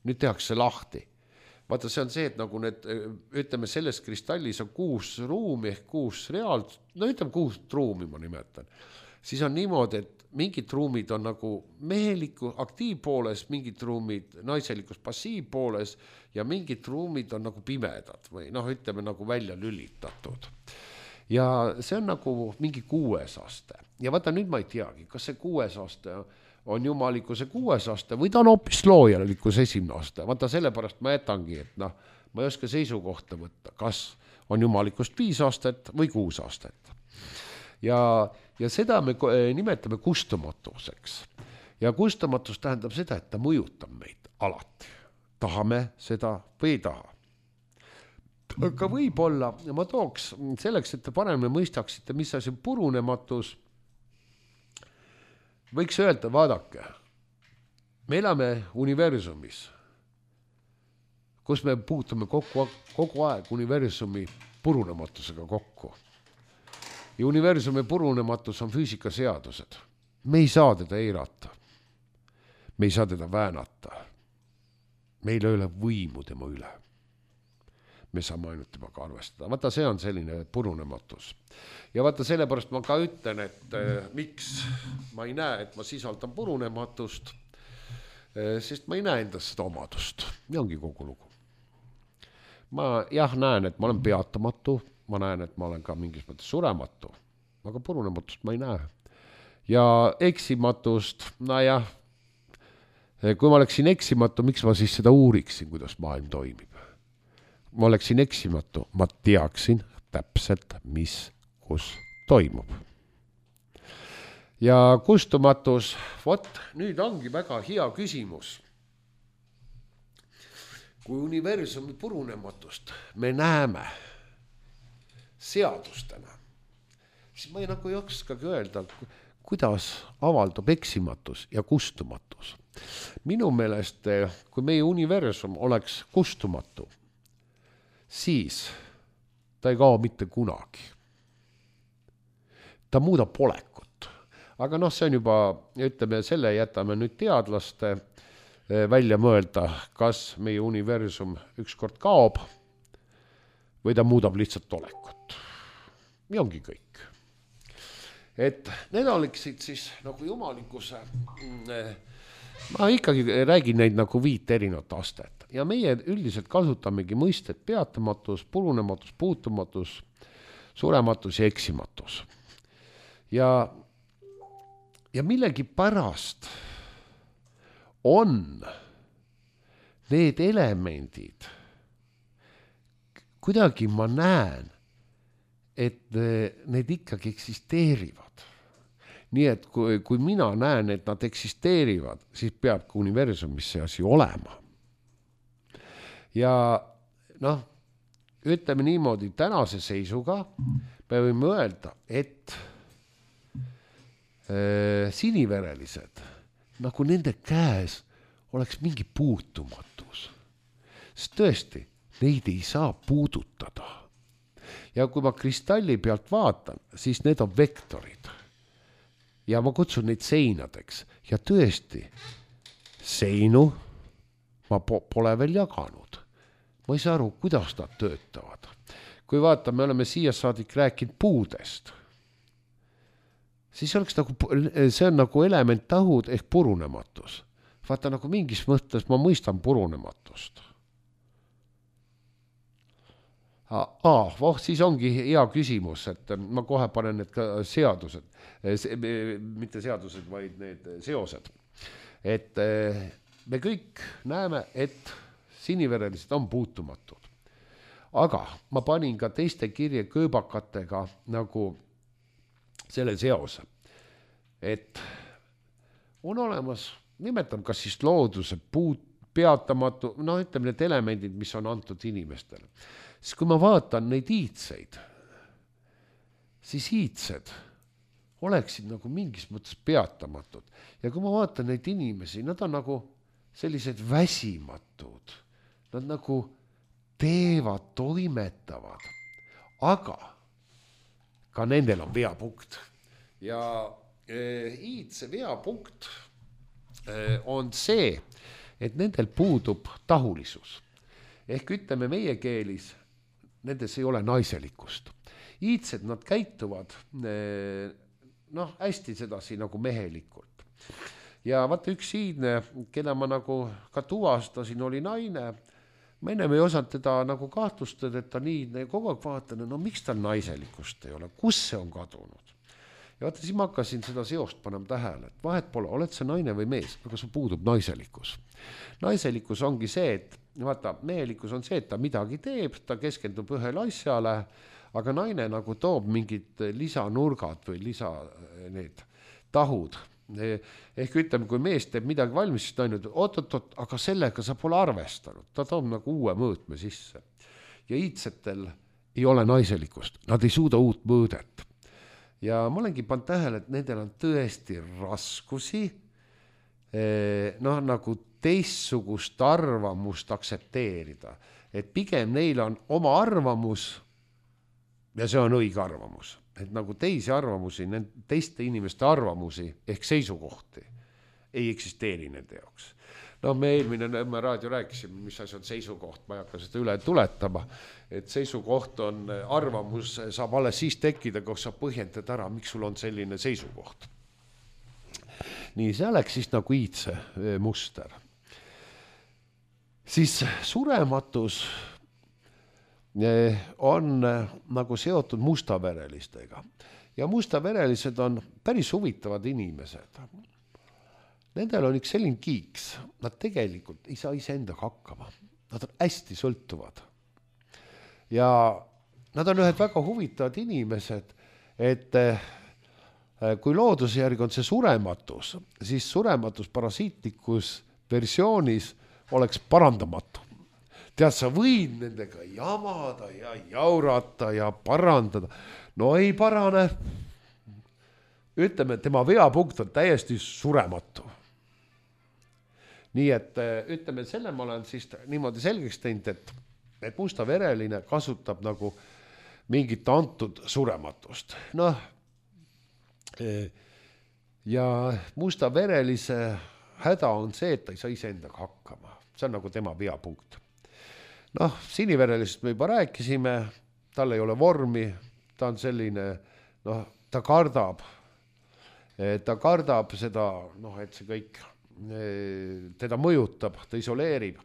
Nüüd tehakse lahti. Vaata, see on see, et nagu need, ütleme, selles kristallis on 6 ruumi ehk 6 reaalsust, no ütleme 6 ruumi ma nimetan. Siis on niimoodi, et mingid ruumid on nagu meheliku aktiivpooles, mingid ruumid naiselikus passiivpooles ja mingid ruumid on nagu pimedad või noh, ütleme nagu välja lülitatud. Ja see on nagu mingi 6. aste. Ja vaata, nüüd ma ei teagi, kas see 6. aste on jumalikkuse 6. aste või ta on hoopis loojalikkuse 1. aste. Vaata, sellepärast ma jätangi, et noh, ma ei oska seisukohta võtta, kas on jumalikust 5 astet või 6 astet. Ja seda me nimetame kustumatuseks. Ja kustumatus tähendab seda, et ta mõjutab meid alati. Tahame seda või ei taha. Aga võib-olla, ma tooks selleks, et te paremini mõistaksite, mis asi on purunematus, võiks öelda, vaadake, me elame universumis, kus me puutume kogu aeg universumi purunematusega kokku. Ja universumi purunematus on füüsikaseadused. Me ei saa teda eirata. Me ei saa teda väänata. Meil ei ole võimu tema üle. Me saame ainult temaga arvestada. Vaata, see on selline purunematus. Ja vaata, sellepärast ma ka ütlen, et miks ma ei näe, et ma sisaldan purunematust, sest ma ei näe endast seda omadust. Ja ongi kogu lugu. Ma näen, et ma olen peatamatu, ma näen, et ma olen ka mingis mõttes surematu, aga purunematust ma ei näe. Ja eksimatust, kui ma oleksin eksimatu, miks ma siis seda uuriksin, kuidas maailm toimib? Ma oleksin eksimatu, ma teaksin täpselt, mis, kus toimub. Ja kustumatus, nüüd ongi väga hea küsimus. Kui universumi purunematust me näeme seadustena, siis ma ei oskagi öelda, kuidas avaldub eksimatus ja kustumatus. Minu meelest, kui meie universum oleks kustumatu, siis ta ei kao mitte kunagi. Ta muudab olekut. Aga see on juba, ütleme, selle jätame nüüd teadlaste välja mõelda, kas meie universum ükskord kaob või ta muudab lihtsalt olekut. Ja ongi kõik. Et need oleksid siis nagu jumalikkuse, ma ikkagi räägin neid nagu 5 erinevat astet. Ja meie üldiselt kasutamegi mõistet peatamatus, purunematus, puutumatus, surematus ja eksimatus. Ja millegi pärast on need elemendid, kuidagi ma näen, et need ikkagi eksisteerivad. Nii et kui mina näen, et nad eksisteerivad, siis peab ka universumis see asi olema. Ja ütleme niimoodi, tänase seisuga me võime öelda, et siniverelised, nagu nende käes oleks mingi puutumatus. Sest tõesti, neid ei saa puudutada. Ja kui ma kristalli pealt vaatan, siis need on vektorid. Ja ma kutsun neid seinadeks. Ja tõesti, seinu ma pole veel jaganud. Ma ei saa aru, kuidas nad töötavad. Kui vaata, me oleme siia saadik rääkinud puudest. Siis oleks see on nagu elementtahud ehk purunematus. Vaata, nagu mingis mõttes ma mõistan purunematust. Siis ongi hea küsimus, et ma kohe panen need ka seadused, mitte seadused, vaid need seosed. Et me kõik näeme, et siniverelised on puutumatud. Aga ma panin ka teiste kirje kööbakatega nagu selle seose, et on olemas, nimetan kas siis looduse peatamatu, ütleme need elemendid, mis on antud inimestele. Siis kui ma vaatan neid iidseid, siis iidsed oleksid nagu mingis mõttes peatamatud. Ja kui ma vaatan neid inimesi, nad on nagu sellised väsimatud. Nad nagu teevad, toimetavad. Aga ka nendel on veapunkt. Ja iidse veapunkt on see, et nendel puudub tahulisus. Ehk ütleme meie keelis, nendes ei ole naiselikkust. Iidsed nad käituvad hästi sedasi nagu mehelikult. Ja vaata üks iidne, keda ma nagu ka tuvastasin, oli naine. Ma ennem ei osanud teda nagu kahtlustada, et ta nii kogu aeg vaatan, miks tal naiselikkust ei ole, kus see on kadunud. Ja vaata, siis ma hakkasin seda seost panema tähele, et vahet pole, oled see naine või mees, aga sul puudub naiselikkus. Naiselikkus ongi see, et vaata, mehelikkus on see, et ta midagi teeb, ta keskendub ühele asjale, aga naine nagu toob mingid lisanurgad või need tahud. Ehk ütleme, kui mees teeb midagi valmis, siis ta on nüüd, oot, aga sellega sa pole arvestanud. Ta toob nagu uue mõõtme sisse. Ja iidsetel ei ole naiselikkust, nad ei suuda uut mõõdet. Ja ma olengi pannud tähele, et nendel on tõesti raskusi nagu teistsugust arvamust aksepteerida. Et pigem neil on oma arvamus ja see on õige arvamus. Et nagu teisi arvamusi, teiste inimeste arvamusi ehk seisukohti ei eksisteeri nende jaoks. Me eelmine Nõmme raadio rääkisime, mis asi on seisukoht, ma ei hakka seda üle tuletama, et seisukoht on arvamus, saab alles siis tekkida, kui sa põhjendad ära, miks sul on selline seisukoht. Nii, see oleks siis nagu iidse muster. Siis surematus on nagu seotud mustaverelistega. Ja mustaverelised on päris huvitavad inimesed. Nendel on üks selline kiiks. Nad tegelikult ei saa iseendaga hakkama. Nad on hästi sõltuvad. Ja nad on ühed väga huvitavad inimesed, et kui looduse järgi on see surematus, siis surematus parasiitlikus versioonis oleks parandamatu. Tead, sa võid nendega jamada ja jaurata ja parandada. No ei parane. Ütleme, tema veapunkt on täiesti surematu. Nii et ütleme, selle ma olen siis niimoodi selgeks teinud, et mustavereline kasutab nagu mingit antud surematust. Ja mustaverelise häda on see, et ta ei saa iseendaga hakkama. See on nagu tema veapunkt. Siniverelisest me juba rääkisime, tal ei ole vormi, ta on selline, ta kardab seda, et see kõik teda mõjutab, ta isoleerib.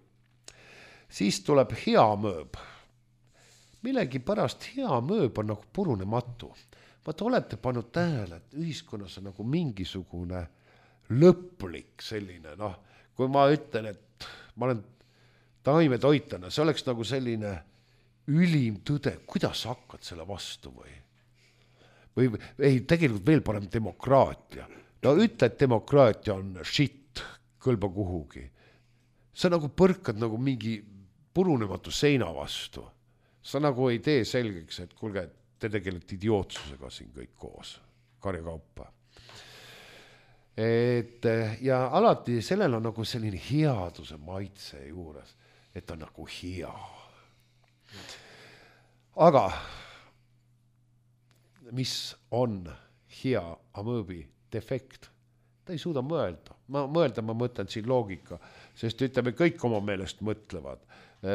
Siis tuleb hea mõõb. Millegi pärast hea mõõb on nagu purunematu. Vaata, olete pannud tähele, et ühiskonnas on nagu mingisugune lõplik selline, kui ma ütlen, et ma olen taimetoitana, see oleks nagu selline ülim tõde, kuidas sa hakkad selle vastu või ei, tegelikult veel parem demokraatia. Ütle, et demokraatia on shit, kõlba kuhugi. Sa nagu põrkad nagu mingi purunematu seina vastu. Sa nagu ei tee selgeks, et kuulge, te tegelete idiootsusega siin kõik koos, karjakaupa. Ja alati sellel on nagu selline headuse maitse juures, et on nagu hea. Aga mis on hea amööbi defekt? Ta ei suuda mõelda. Ma mõtlen siin loogika, sest ütleme, kõik oma meelest mõtlevad.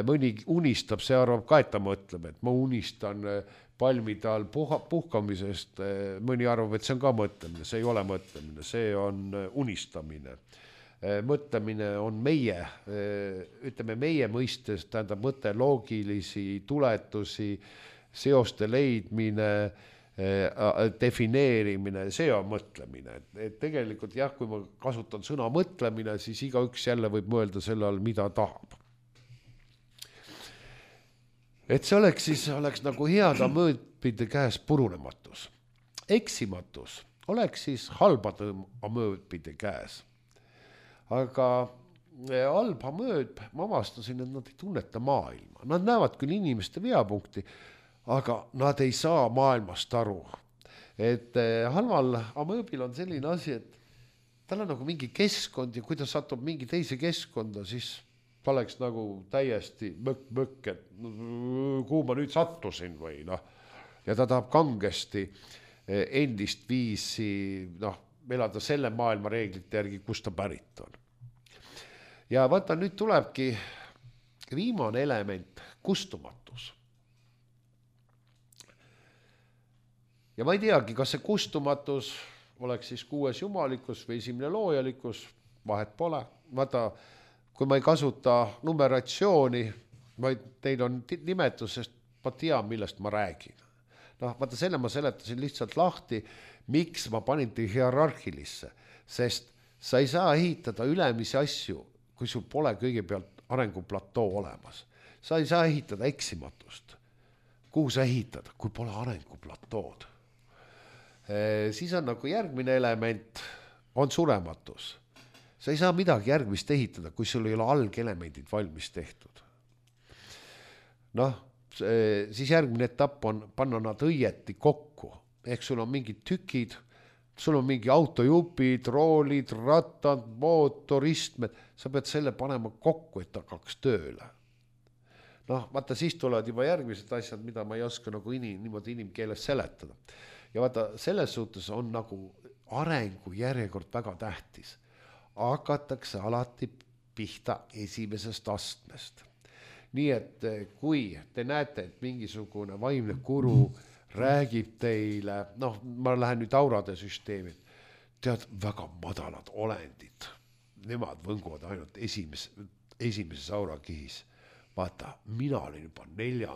Mõni unistab, see arvab ka, et ta mõtleb, et ma unistan palmide all puhkamisest, mõni arvab, et see on ka mõtlemine, see ei ole mõtlemine, see on unistamine. Mõtlemine on meie, ütleme meie mõistes, tähendab mõte loogilisi tuletusi, seoste leidmine, defineerimine, see on mõtlemine. Et tegelikult jah, kui ma kasutan sõna mõtlemine, siis igaüks jälle võib mõelda selle all, mida tahab. Et see oleks nagu heada mõõtpide käes purunematus. Eksimatus oleks siis halbade mõõtpide käes. Aga halba mõõt, ma avastasin, et nad ei tunneta maailma. Nad näevad küll inimeste veapunkti, aga nad ei saa maailmast aru. Et halval amööbil on selline asi, et tal on nagu mingi keskkond ja kui ta satub mingi teise keskkonda, siis ta oleks nagu täiesti mõkk, et kuhu ma nüüd sattusin või . Ja ta tahab kangesti endist viisi elada selle maailma reeglite järgi, kus ta pärit on. Ja vaata, nüüd tulebki viimane element, kustumatus. Ja ma ei teagi, kas see kustumatus oleks siis 6. jumalikkus või 1. loojalikkus, vahet pole. Vaata, kui ma ei kasuta numeratsiooni, vaid teil on nimetus, sest ma tean, millest ma räägin. Vaata, selle ma seletasin lihtsalt lahti, miks ma panin te hierarhilisse, sest sa ei saa ehitada ülemisi asju, kui sul pole kõigepealt arenguplatoo olemas. Sa ei saa ehitada eksimatust. Kuhu sa ehitad, kui pole arenguplatood? Siis on nagu järgmine element, on surematus. Sa ei saa midagi järgmist ehitada, kui sul ei ole algelemendid valmis tehtud. Siis järgmine etapp on panna nad õieti kokku. Ehk sul on mingid tükid, sul on mingi autojupid, roolid, rattad, mootor, istmed. Sa pead selle panema kokku, et ta hakkaks tööle. Vaata, siis tulevad juba järgmised asjad, mida ma ei oska nagu niimoodi inimkeeles seletada. Ja vaata, selles suhtes on nagu arengu järjekord väga tähtis. Hakatakse alati pihta esimesest astmest. Nii et kui te näete, et mingisugune vaimne guru räägib teile, ma lähen nüüd aurade süsteemi, tead, väga madalad olendid. Nemad võnguvad ainult esimeses aurakihis. Vaata, mina olin juba 4.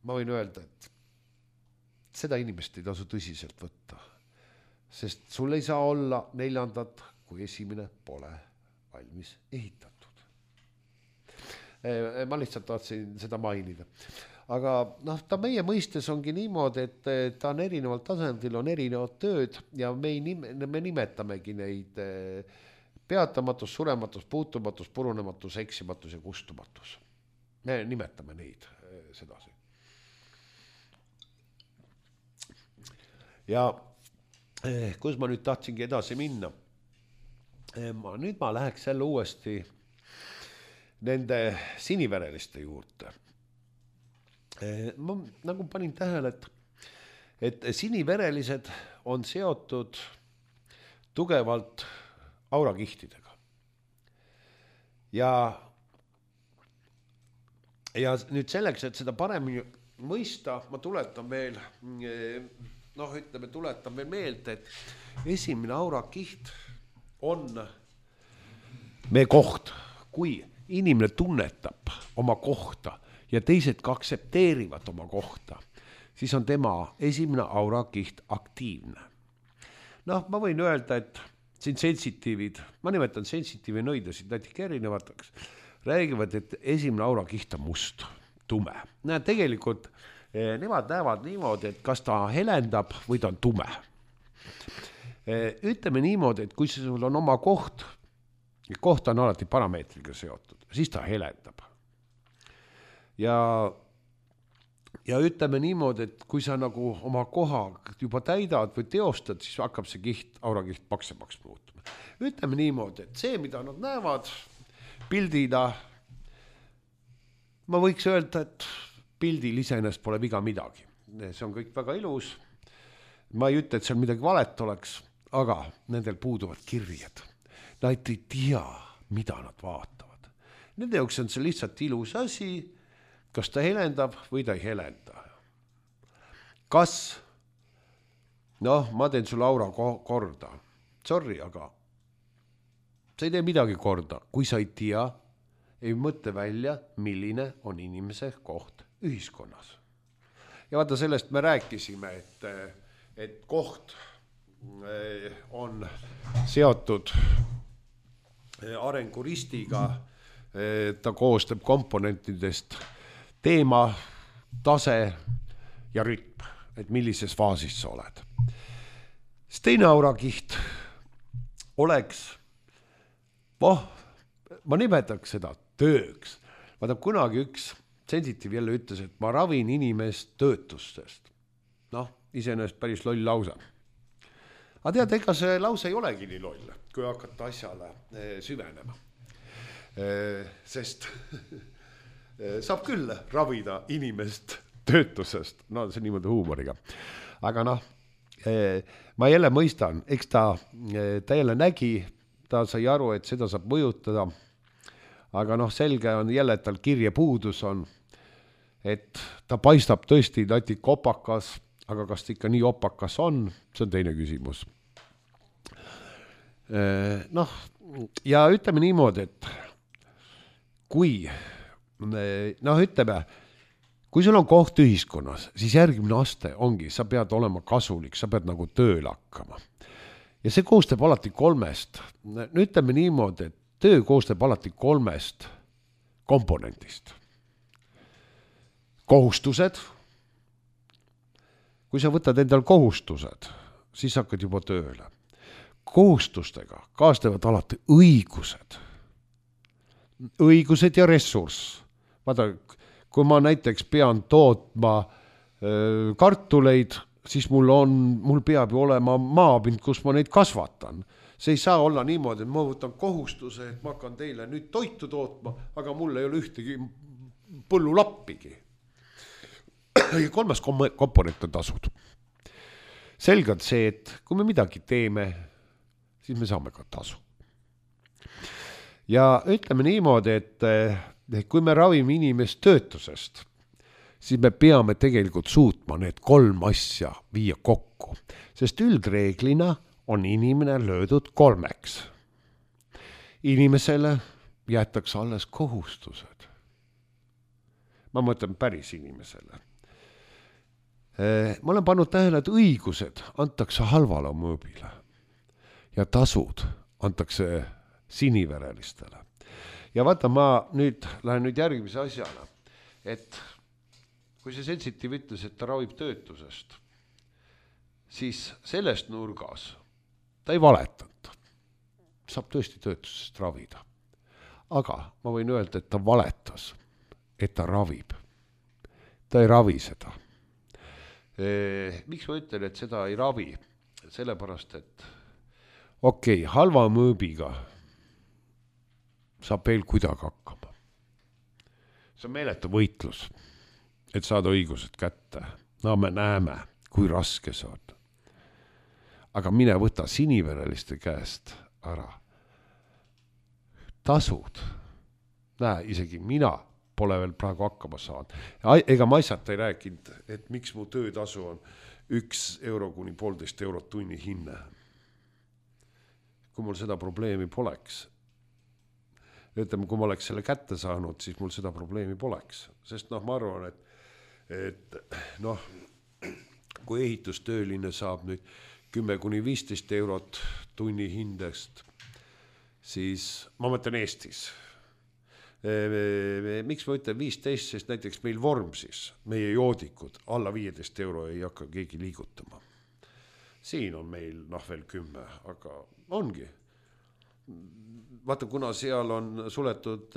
Ma võin öelda, et seda inimest ei tasu tõsiselt võtta, sest sul ei saa olla 4, kui esimene pole valmis ehitatud. Ma lihtsalt tahtsin seda mainida. Aga ta meie mõistes ongi niimoodi, et ta on erineval tasandil, on erinevad tööd ja me nimetamegi neid peatamatus, surematus, puutumatus, purunematus, eksimatus ja kustumatus. Me nimetame neid sedasi. Ja kus ma nüüd tahtsingi edasi minna? Nüüd ma läheks jälle uuesti nende sinivereliste juurde. Ma nagu panin tähele, et siniverelised on seotud tugevalt aurakihtidega. Ja nüüd selleks, et seda paremini mõista, ma tuletan veel meelde, et esimene aurakiht on meie koht. Kui inimene tunnetab oma kohta ja teised ka aksepteerivad oma kohta, siis on tema esimene aurakiht aktiivne. Ma võin öelda, et siin sensitiivid, ma nimetan sensitiivi nõidasid natuke erinevateks, räägivad, et esimene aurakiht on must, tume. Tegelikult nemad näevad niimoodi, et kas ta helendab või ta on tume. Ütleme niimoodi, et kui sul on oma koht on alati parameetriga seotud, siis ta helendab. Ja ütleme niimoodi, et kui sa nagu oma koha juba täidad või teostad, siis hakkab see aurakiht paksemaks muutuma. Ütleme niimoodi, et see, mida nad näevad pildina, ma võiks öelda, et pildil iseenesest pole viga midagi. See on kõik väga ilus. Ma ei ütle, et seal midagi valet oleks, aga nendel puuduvad kirjed. Nad ei tea, mida nad vaatavad. Nende jaoks on see lihtsalt ilus asi, kas ta helendab või ta ei helenda. Kas, ma teen sulle aura korda. Sorry, aga sa ei tee midagi korda, kui sa ei tea, ei mõtle välja, milline on inimese koht ühiskonnas. Ja vaata, sellest me rääkisime, et koht on seotud arenguristiga, ta koostab komponentidest teema, tase ja rütm, et millises faasis sa oled. See teine aurakiht oleks, ma nimetaks seda tööks. Vaata, kunagi üks sensitiiv jälle ütles, et ma ravin inimest töötustest. Iseenesest päris loll lause. Aga tead, ega see lause ei olegi nii loll, kui hakata asjale süvenema. Sest saab küll ravida inimest töötusest, see niimoodi huumoriga. Aga ma jälle mõistan, eks ta jälle nägi, ta sai aru, et seda saab mõjutada, aga noh, selge on jälle, et tal kirjepuudus on, et ta paistab tõesti natuke opakas, aga kas ta ikka nii opakas on, see on teine küsimus. Noh, ja ütleme niimoodi, et kui, noh ütleme, kui sul on koht ühiskonnas, siis järgmine aste ongi, sa pead olema kasulik, sa pead nagu tööle hakkama. Ja see koostab alati 3. Ütleme niimoodi, et töö koostab alati 3 komponentist. Kohustused. Kui sa võtad endal kohustused, siis hakkad juba tööle. Kohustustega kaasnevad alati õigused. Õigused ja ressurss. Vaata, kui ma näiteks pean tootma kartuleid, siis mul peab ju olema maapind, kus ma neid kasvatan. See ei saa olla niimoodi, et ma võtan kohustuse, et ma hakkan teile nüüd toitu tootma, aga mul ei ole ühtegi põllulappigi. Ja 3. komponent on tasud. Selge on see, et kui me midagi teeme, siis me saame ka tasu. Ja ütleme niimoodi, et kui me ravime inimest töötusest, siis me peame tegelikult suutma need 3 asja viia kokku, sest üldreeglina on inimene löödud 3. Inimesele jäetakse alles kohustused. Ma mõtlen päris inimesele. Ma olen pannud tähele, et õigused antakse halvale mõõbile ja tasud antakse siniverelistele. Ja vaata, ma lähen nüüd järgmise asjana, et kui see sensitiiv ütles, et ta ravib töötusest, siis sellest nurgas ta ei valetanud. Saab tõesti töötusest ravida. Aga ma võin öelda, et ta valetas, et ta ravib. Ta ei ravi seda. Miks ma ütlen, et seda ei ravi? Sellepärast, et okei, halva mõõbiga saab veel kuidagi hakkama. See on meeletu võitlus, et saada õigused kätte. No me näeme, kui raske see on. Aga mine võta sinivereliste käest ära. Tasud. Näe, isegi mina pole veel praegu hakkama saanud. Ega ma asjata ei rääkinud, et miks mu töötasu on 1 euro kuni 1,5 eurot tunni hinne. Kui mul seda probleemi poleks, ütleme, kui ma oleks selle kätte saanud, siis mul seda probleemi poleks. Sest ma arvan, et kui ehitustööline saab nüüd 10 kuni 15 eurot tunni hindest, siis ma mõtlen Eestis. Miks ma ütlen 15, sest näiteks meil Vormsis, meie joodikud, alla 15 euro ei hakka keegi liigutama. Siin on meil veel 10, aga ongi. Vaata, kuna seal on suletud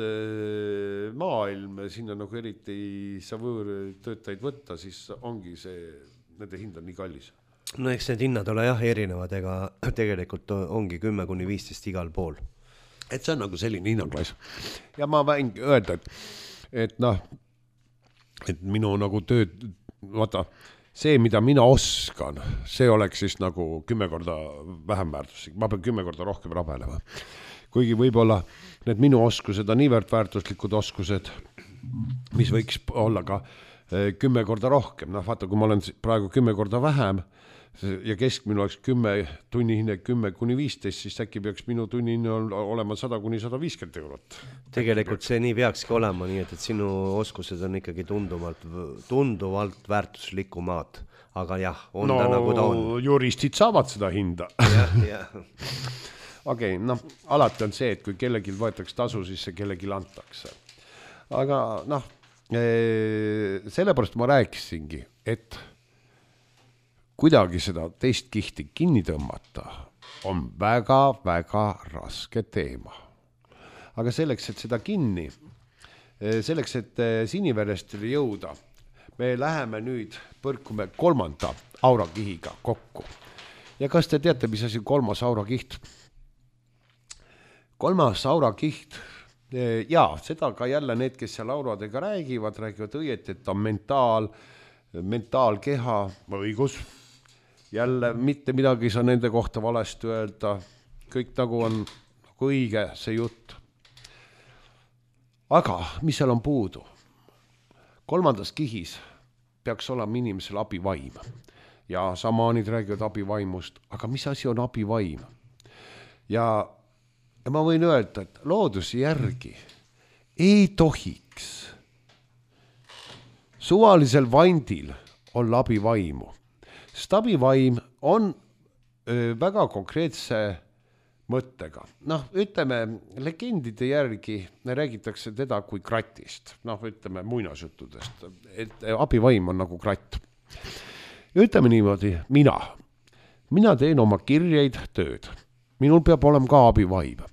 maailm, sinna nagu eriti ei saa võõrtöötajaid võtta, siis ongi see, nende hind on nii kallis. No eks need hinnad ole erinevad, ega tegelikult ongi 10 kuni 15 igal pool. Et see on nagu selline hinnanglaas. Ja ma võin öelda, et minu nagu tööd, vaata, see, mida mina oskan, see oleks siis nagu 10 korda vähem väärtuslik. Ma pean 10 korda rohkem rabelema. Kuigi võib-olla need minu oskused on niivõrd väärtuslikud oskused, mis võiks olla ka 10 korda rohkem. Vaata, kui ma olen praegu 10 korda vähem, ja keskmine oleks 10 tunni hinne 10 kuni 15, siis äkki peaks minu tunni hinne olema 100 kuni 150 eurot. Tegelikult see nii peakski olema, nii et sinu oskused on ikkagi tunduvalt väärtuslikumad, aga jah, on ta nagu ta on. Juristid saavad seda hinda. Jah. Okei, alati on see, et kui kellelgi võetakse tasu, siis see kellelgi antakse. Aga sellepärast ma rääkisingi, et kuidagi seda teist kihti kinni tõmmata on väga-väga raske teema. Aga selleks, et seda kinni, selleks, et siniverestele jõuda, me läheme nüüd, põrkume 3. aurakihiga kokku. Ja kas te teate, mis asi 3. aurakiht? 3. aurakiht, seda ka jälle need, kes seal auradega räägivad õieti, et on mentaalkeha õigus. jälle mitte midagi ei saa nende kohta valesti öelda, kõik nagu on nagu õige see jutt. Aga mis seal on puudu? 3. kihis peaks olema inimesel abivaim ja šamaanid räägivad abivaimust, aga mis asi on abivaim? Ja ma võin öelda, et looduse järgi ei tohiks suvalisel vandil olla abivaimu, sest abivaim on väga konkreetse mõttega. Noh, ütleme, legendide järgi räägitakse teda kui kratist. Noh, ütleme muinasjuttudest, et abivaim on nagu kratt. Ütleme niimoodi, mina teen oma kirjeid tööd. Minul peab olema ka abivaim.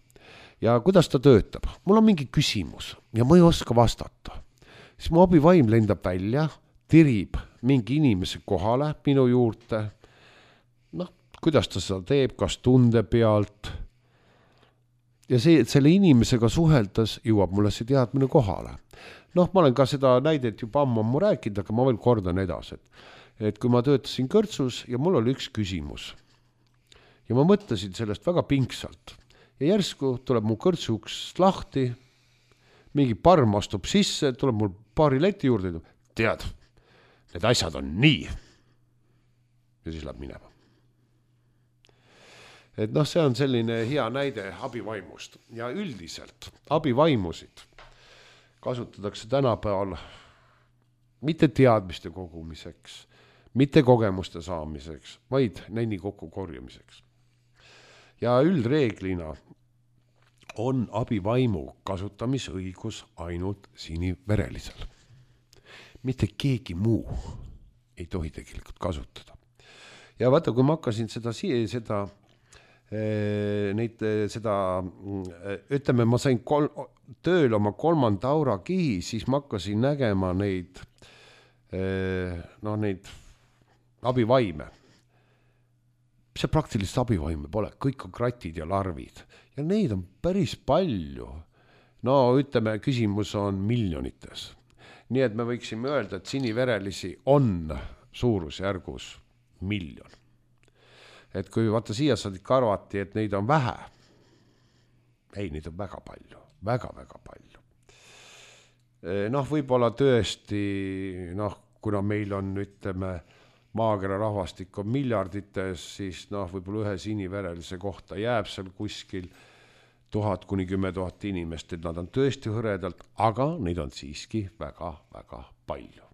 Ja kuidas ta töötab? Mul on mingi küsimus ja ma ei oska vastata. Siis mu abivaim lendab välja, tirib mingi inimese kohale minu juurde. Noh, kuidas ta seda teeb, kas tunde pealt. Ja see, et selle inimesega suheldas, jõuab mulle see teadmine kohale. Noh, ma olen ka seda näidet juba ammu rääkinud, aga ma veel kordan edasi. Et kui ma töötasin kõrtsus ja mul oli üks küsimus. Ja ma mõtlesin sellest väga pingsalt. Ja järsku tuleb mu kõrtsuks lahti, mingi parm astub sisse, tuleb mul paari leti juurde, tead, need asjad on nii. Ja siis läheb minema. Et noh, see on selline hea näide abivaimust. Ja üldiselt abivaimusid kasutatakse tänapäeval mitte teadmiste kogumiseks, mitte kogemuste saamiseks, vaid neni kokku korjamiseks. Ja üldreeglina on abivaimu kasutamisõigus ainult siniverelisel. Mitte keegi muu ei tohi tegelikult kasutada. Ja vaata, kui ma hakkasin ütleme, ma sain tööl oma 3. aura kihi, siis ma hakkasin nägema neid abivaime. See praktiliselt abivaime pole, kõik on kratid ja larvid ja neid on päris palju. No ütleme, küsimus on miljonites. Nii et me võiksime öelda, et siniverelisi on suurusjärgus 1 miljon. Et kui vaata siia saadik arvati, et neid on vähe. Ei, neid on väga palju, väga-väga palju. Noh, võib-olla tõesti, kuna meil on, ütleme, maakera rahvastik on miljardites, siis võib-olla ühe siniverelise kohta jääb seal kuskil 1000 kuni 10 000 inimest, et nad on tõesti hõredalt, aga neid on siiski väga-väga palju.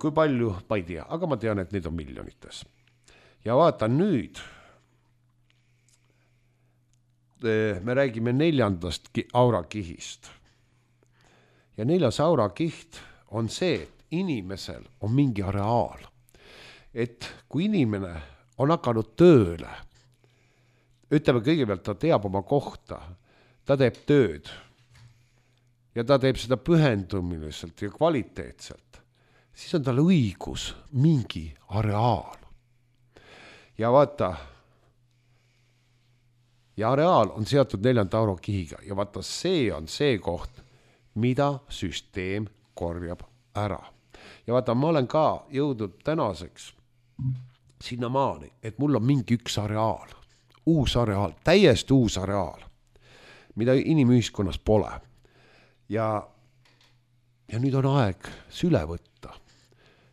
Kui palju, ma ei tea, aga ma tean, et neid on miljonites. Ja vaata nüüd, me räägime 4. aurakihist. Ja 4. aurakiht on see, et inimesel on mingi areaal. Et kui inimene on hakanud tööle, ütleme kõigepealt, ta teab oma kohta, ta teeb tööd ja ta teeb seda pühendumiliselt ja kvaliteetselt, siis on tal õigus mingi areaal. Ja vaata, ja areaal on seatud 4. aurokihiga ja vaata, see on see koht, mida süsteem korjab ära. Ja vaata, ma olen ka jõudnud tänaseks sinna maani, et mul on mingi üks areaal, uus areaal, täiesti uus areaal, mida inimühiskonnas pole. Ja nüüd on aeg süle võtta.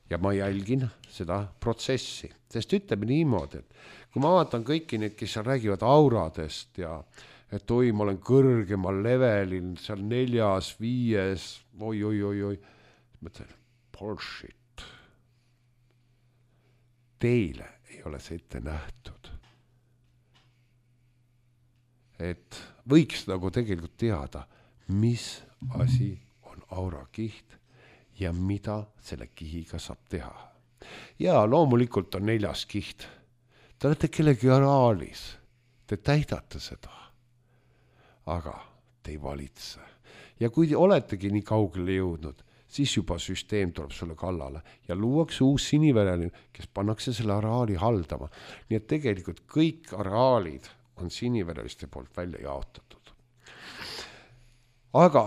Ja ma jälgin seda protsessi, sest ütleme niimoodi, et kui ma vaatan kõiki neid, kes seal räägivad auradest ja et oi, ma olen kõrgemal levelil, seal 4., 5, oi, mõtlen, bullshit. Teile ei ole see ette nähtud. Et võiks nagu tegelikult teada, mis asi on aurakiht ja mida selle kihiga saab teha. Ja loomulikult on 4. kiht. Te olete kellegi areaalis. Te täidate seda. Aga te ei valitse. Ja kui te oletegi nii kaugele jõudnud, siis juba süsteem tuleb sulle kallale ja luuakse uus sinivereline, kes pannakse selle areaali haldama. Nii et tegelikult kõik areaalid on sinivereliste poolt välja jaotatud. aga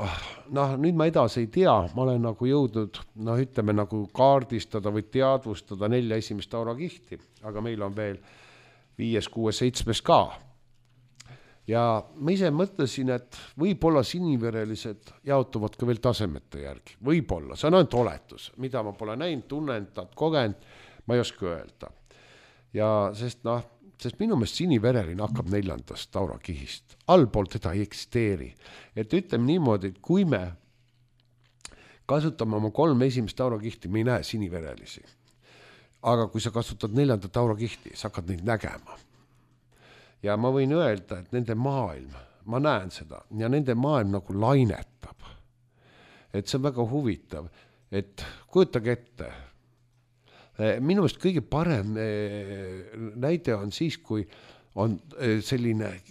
nüüd ma edasi ei tea, ma olen nagu jõudnud, ütleme nagu kaardistada või teadvustada 4 esimest aurakihti, aga meil on veel 5, 6, 7 ka. Ja ma ise mõtlesin, et võib-olla siniverelised jaotuvad ka veel tasemete järgi. Võib-olla, see on ainult oletus, mida ma pole näinud, tunnendanud, kogenud, ma ei oska öelda. Ja sest minu meelest sinivereline hakkab 4. aurakihist. Allpool teda ei eksisteeri. Et ütleme niimoodi, et kui me kasutame oma 3 esimest aurakihti, me ei näe siniverelisi. Aga kui sa kasutad 4. aurakihti, sa hakkad neid nägema. Ja ma võin öelda, et nende maailm, ma näen seda, ja nende maailm nagu lainetab. Et see on väga huvitav, et kujutage ette, minu meelest kõige parem näide on siis, kui on selline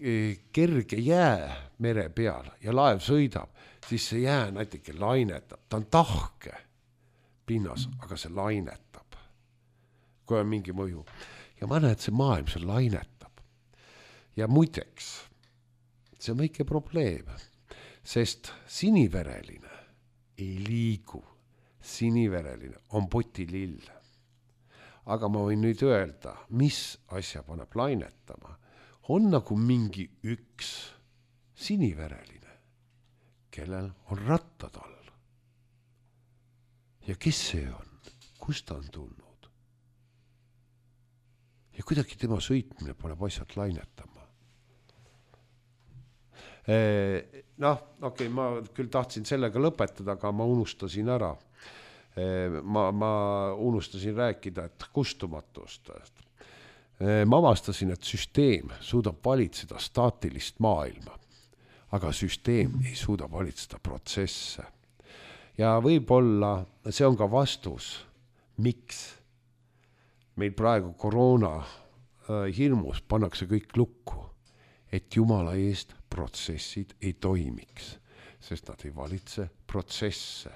kerge jää mere peal ja laev sõidab, siis see jää näiteks lainetab, ta on tahke pinnas, aga see lainetab, kui on mingi mõju. Ja ma näen, et see maailm, see lainetab. Ja muideks, see on väike probleem, sest sinivereline ei liigu, sinivereline on potilill. Aga ma võin nüüd öelda, mis asja paneb lainetama, on nagu mingi üks sinivereline, kellel on rattad all. Ja kes see on? Kust ta on tulnud? Ja kuidagi tema sõitmine paneb asjad lainetama. Okei, ma küll tahtsin sellega lõpetada, aga ma unustasin ära. Ma unustasin rääkida, et kustumatust. Ma avastasin, et süsteem suudab valitseda staatilist maailma, aga süsteem ei suuda valitseda protsesse. Ja võib-olla see on ka vastus, miks meil praegu koroona hirmus pannakse kõik lukku, et Jumala eest protsessid ei toimiks, sest nad ei valitse protsesse.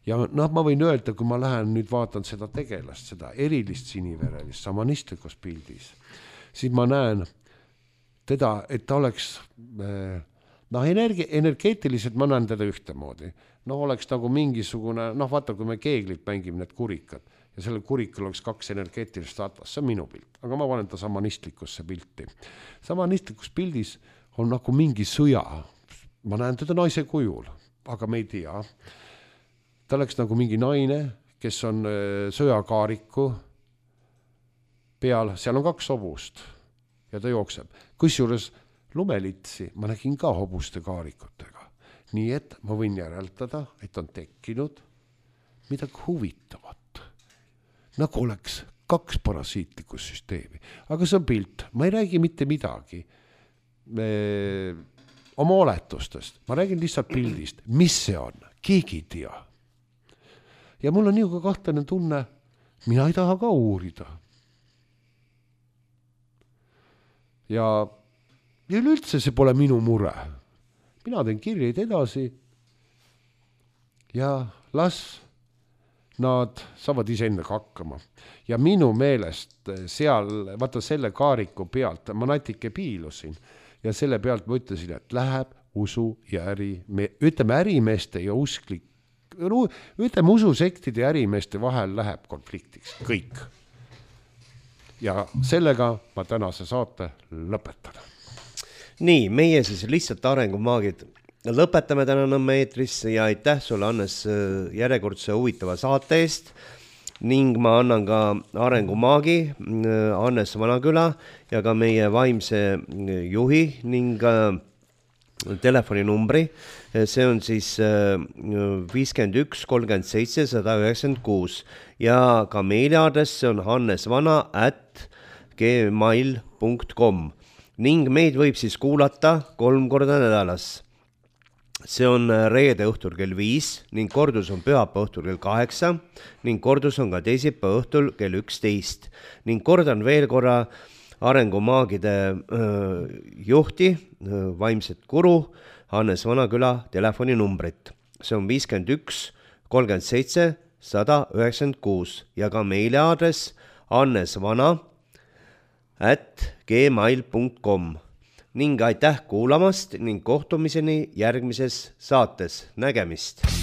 Ja ma võin öelda, kui ma lähen nüüd vaatan seda tegelast, seda erilist siniverelist samanistlikus pildis, siis ma näen teda, et ta oleks, energeetiliselt ma näen teda ühtemoodi. Oleks nagu mingisugune, vaata, kui me keeglit mängime need kurikad ja sellel kurikul oleks 2 energeetilist atlas, see on minu pilt, aga ma panen ta samanistlikusse pilti. Samanistlikus pildis on nagu mingi sõja, ma näen teda naise kujul, aga me ei tea. Ta oleks nagu mingi naine, kes on sõjakaariku peal, seal on 2 hobust ja ta jookseb. Kusjuures lumelitsi ma nägin ka hobuste kaarikutega. Nii et ma võin järeldada, et on tekkinud midagi huvitavat. Nagu oleks 2 parasiitlikku süsteemi. Aga see on pilt, ma ei räägi mitte midagi oma oletustest. Ma räägin lihtsalt pildist, mis see on, keegi ei tea. Ja mul on niuga kahtlane tunne, mina ei taha ka uurida. Ja üleüldse see pole minu mure. Mina teen kirjeid edasi ja las nad saavad iseendaga hakkama. Ja minu meelest seal, vaata selle kaariku pealt, ma natuke piilusin ja selle pealt ma ütlesin, et läheb usu ja ärimeeste ja ütleme ususektide ja ärimeeste vahel läheb konfliktiks. Kõik. Ja sellega ma tänase saate lõpetan. Nii, meie siis lihtsalt arengumaagid lõpetame täna Nõmme eetris ja aitäh sulle, Hannes, järjekordse huvitava saate eest ning ma annan ka arengumaagi Hannes Vanaküla ja ka meie vaimse juhi ning telefoninumbri. See on siis 51 37 196 ja ka meiliaadress on hannesvana@gmail.com ning meid võib siis kuulata 3 korda nädalas. See on reede õhtul kell 5 ning kordus on pühapäeva õhtul kell 8 ning kordus on ka teisipäeva õhtul kell 11 ning kordan veel korra arengumaagide juhti, vaimset guru Hannes Vanaküla telefoninumbrit. See on 51 37 196 ja ka meiliaadress hannesvana@gmail.com. ning aitäh kuulamast ning kohtumiseni järgmises saates. Nägemist!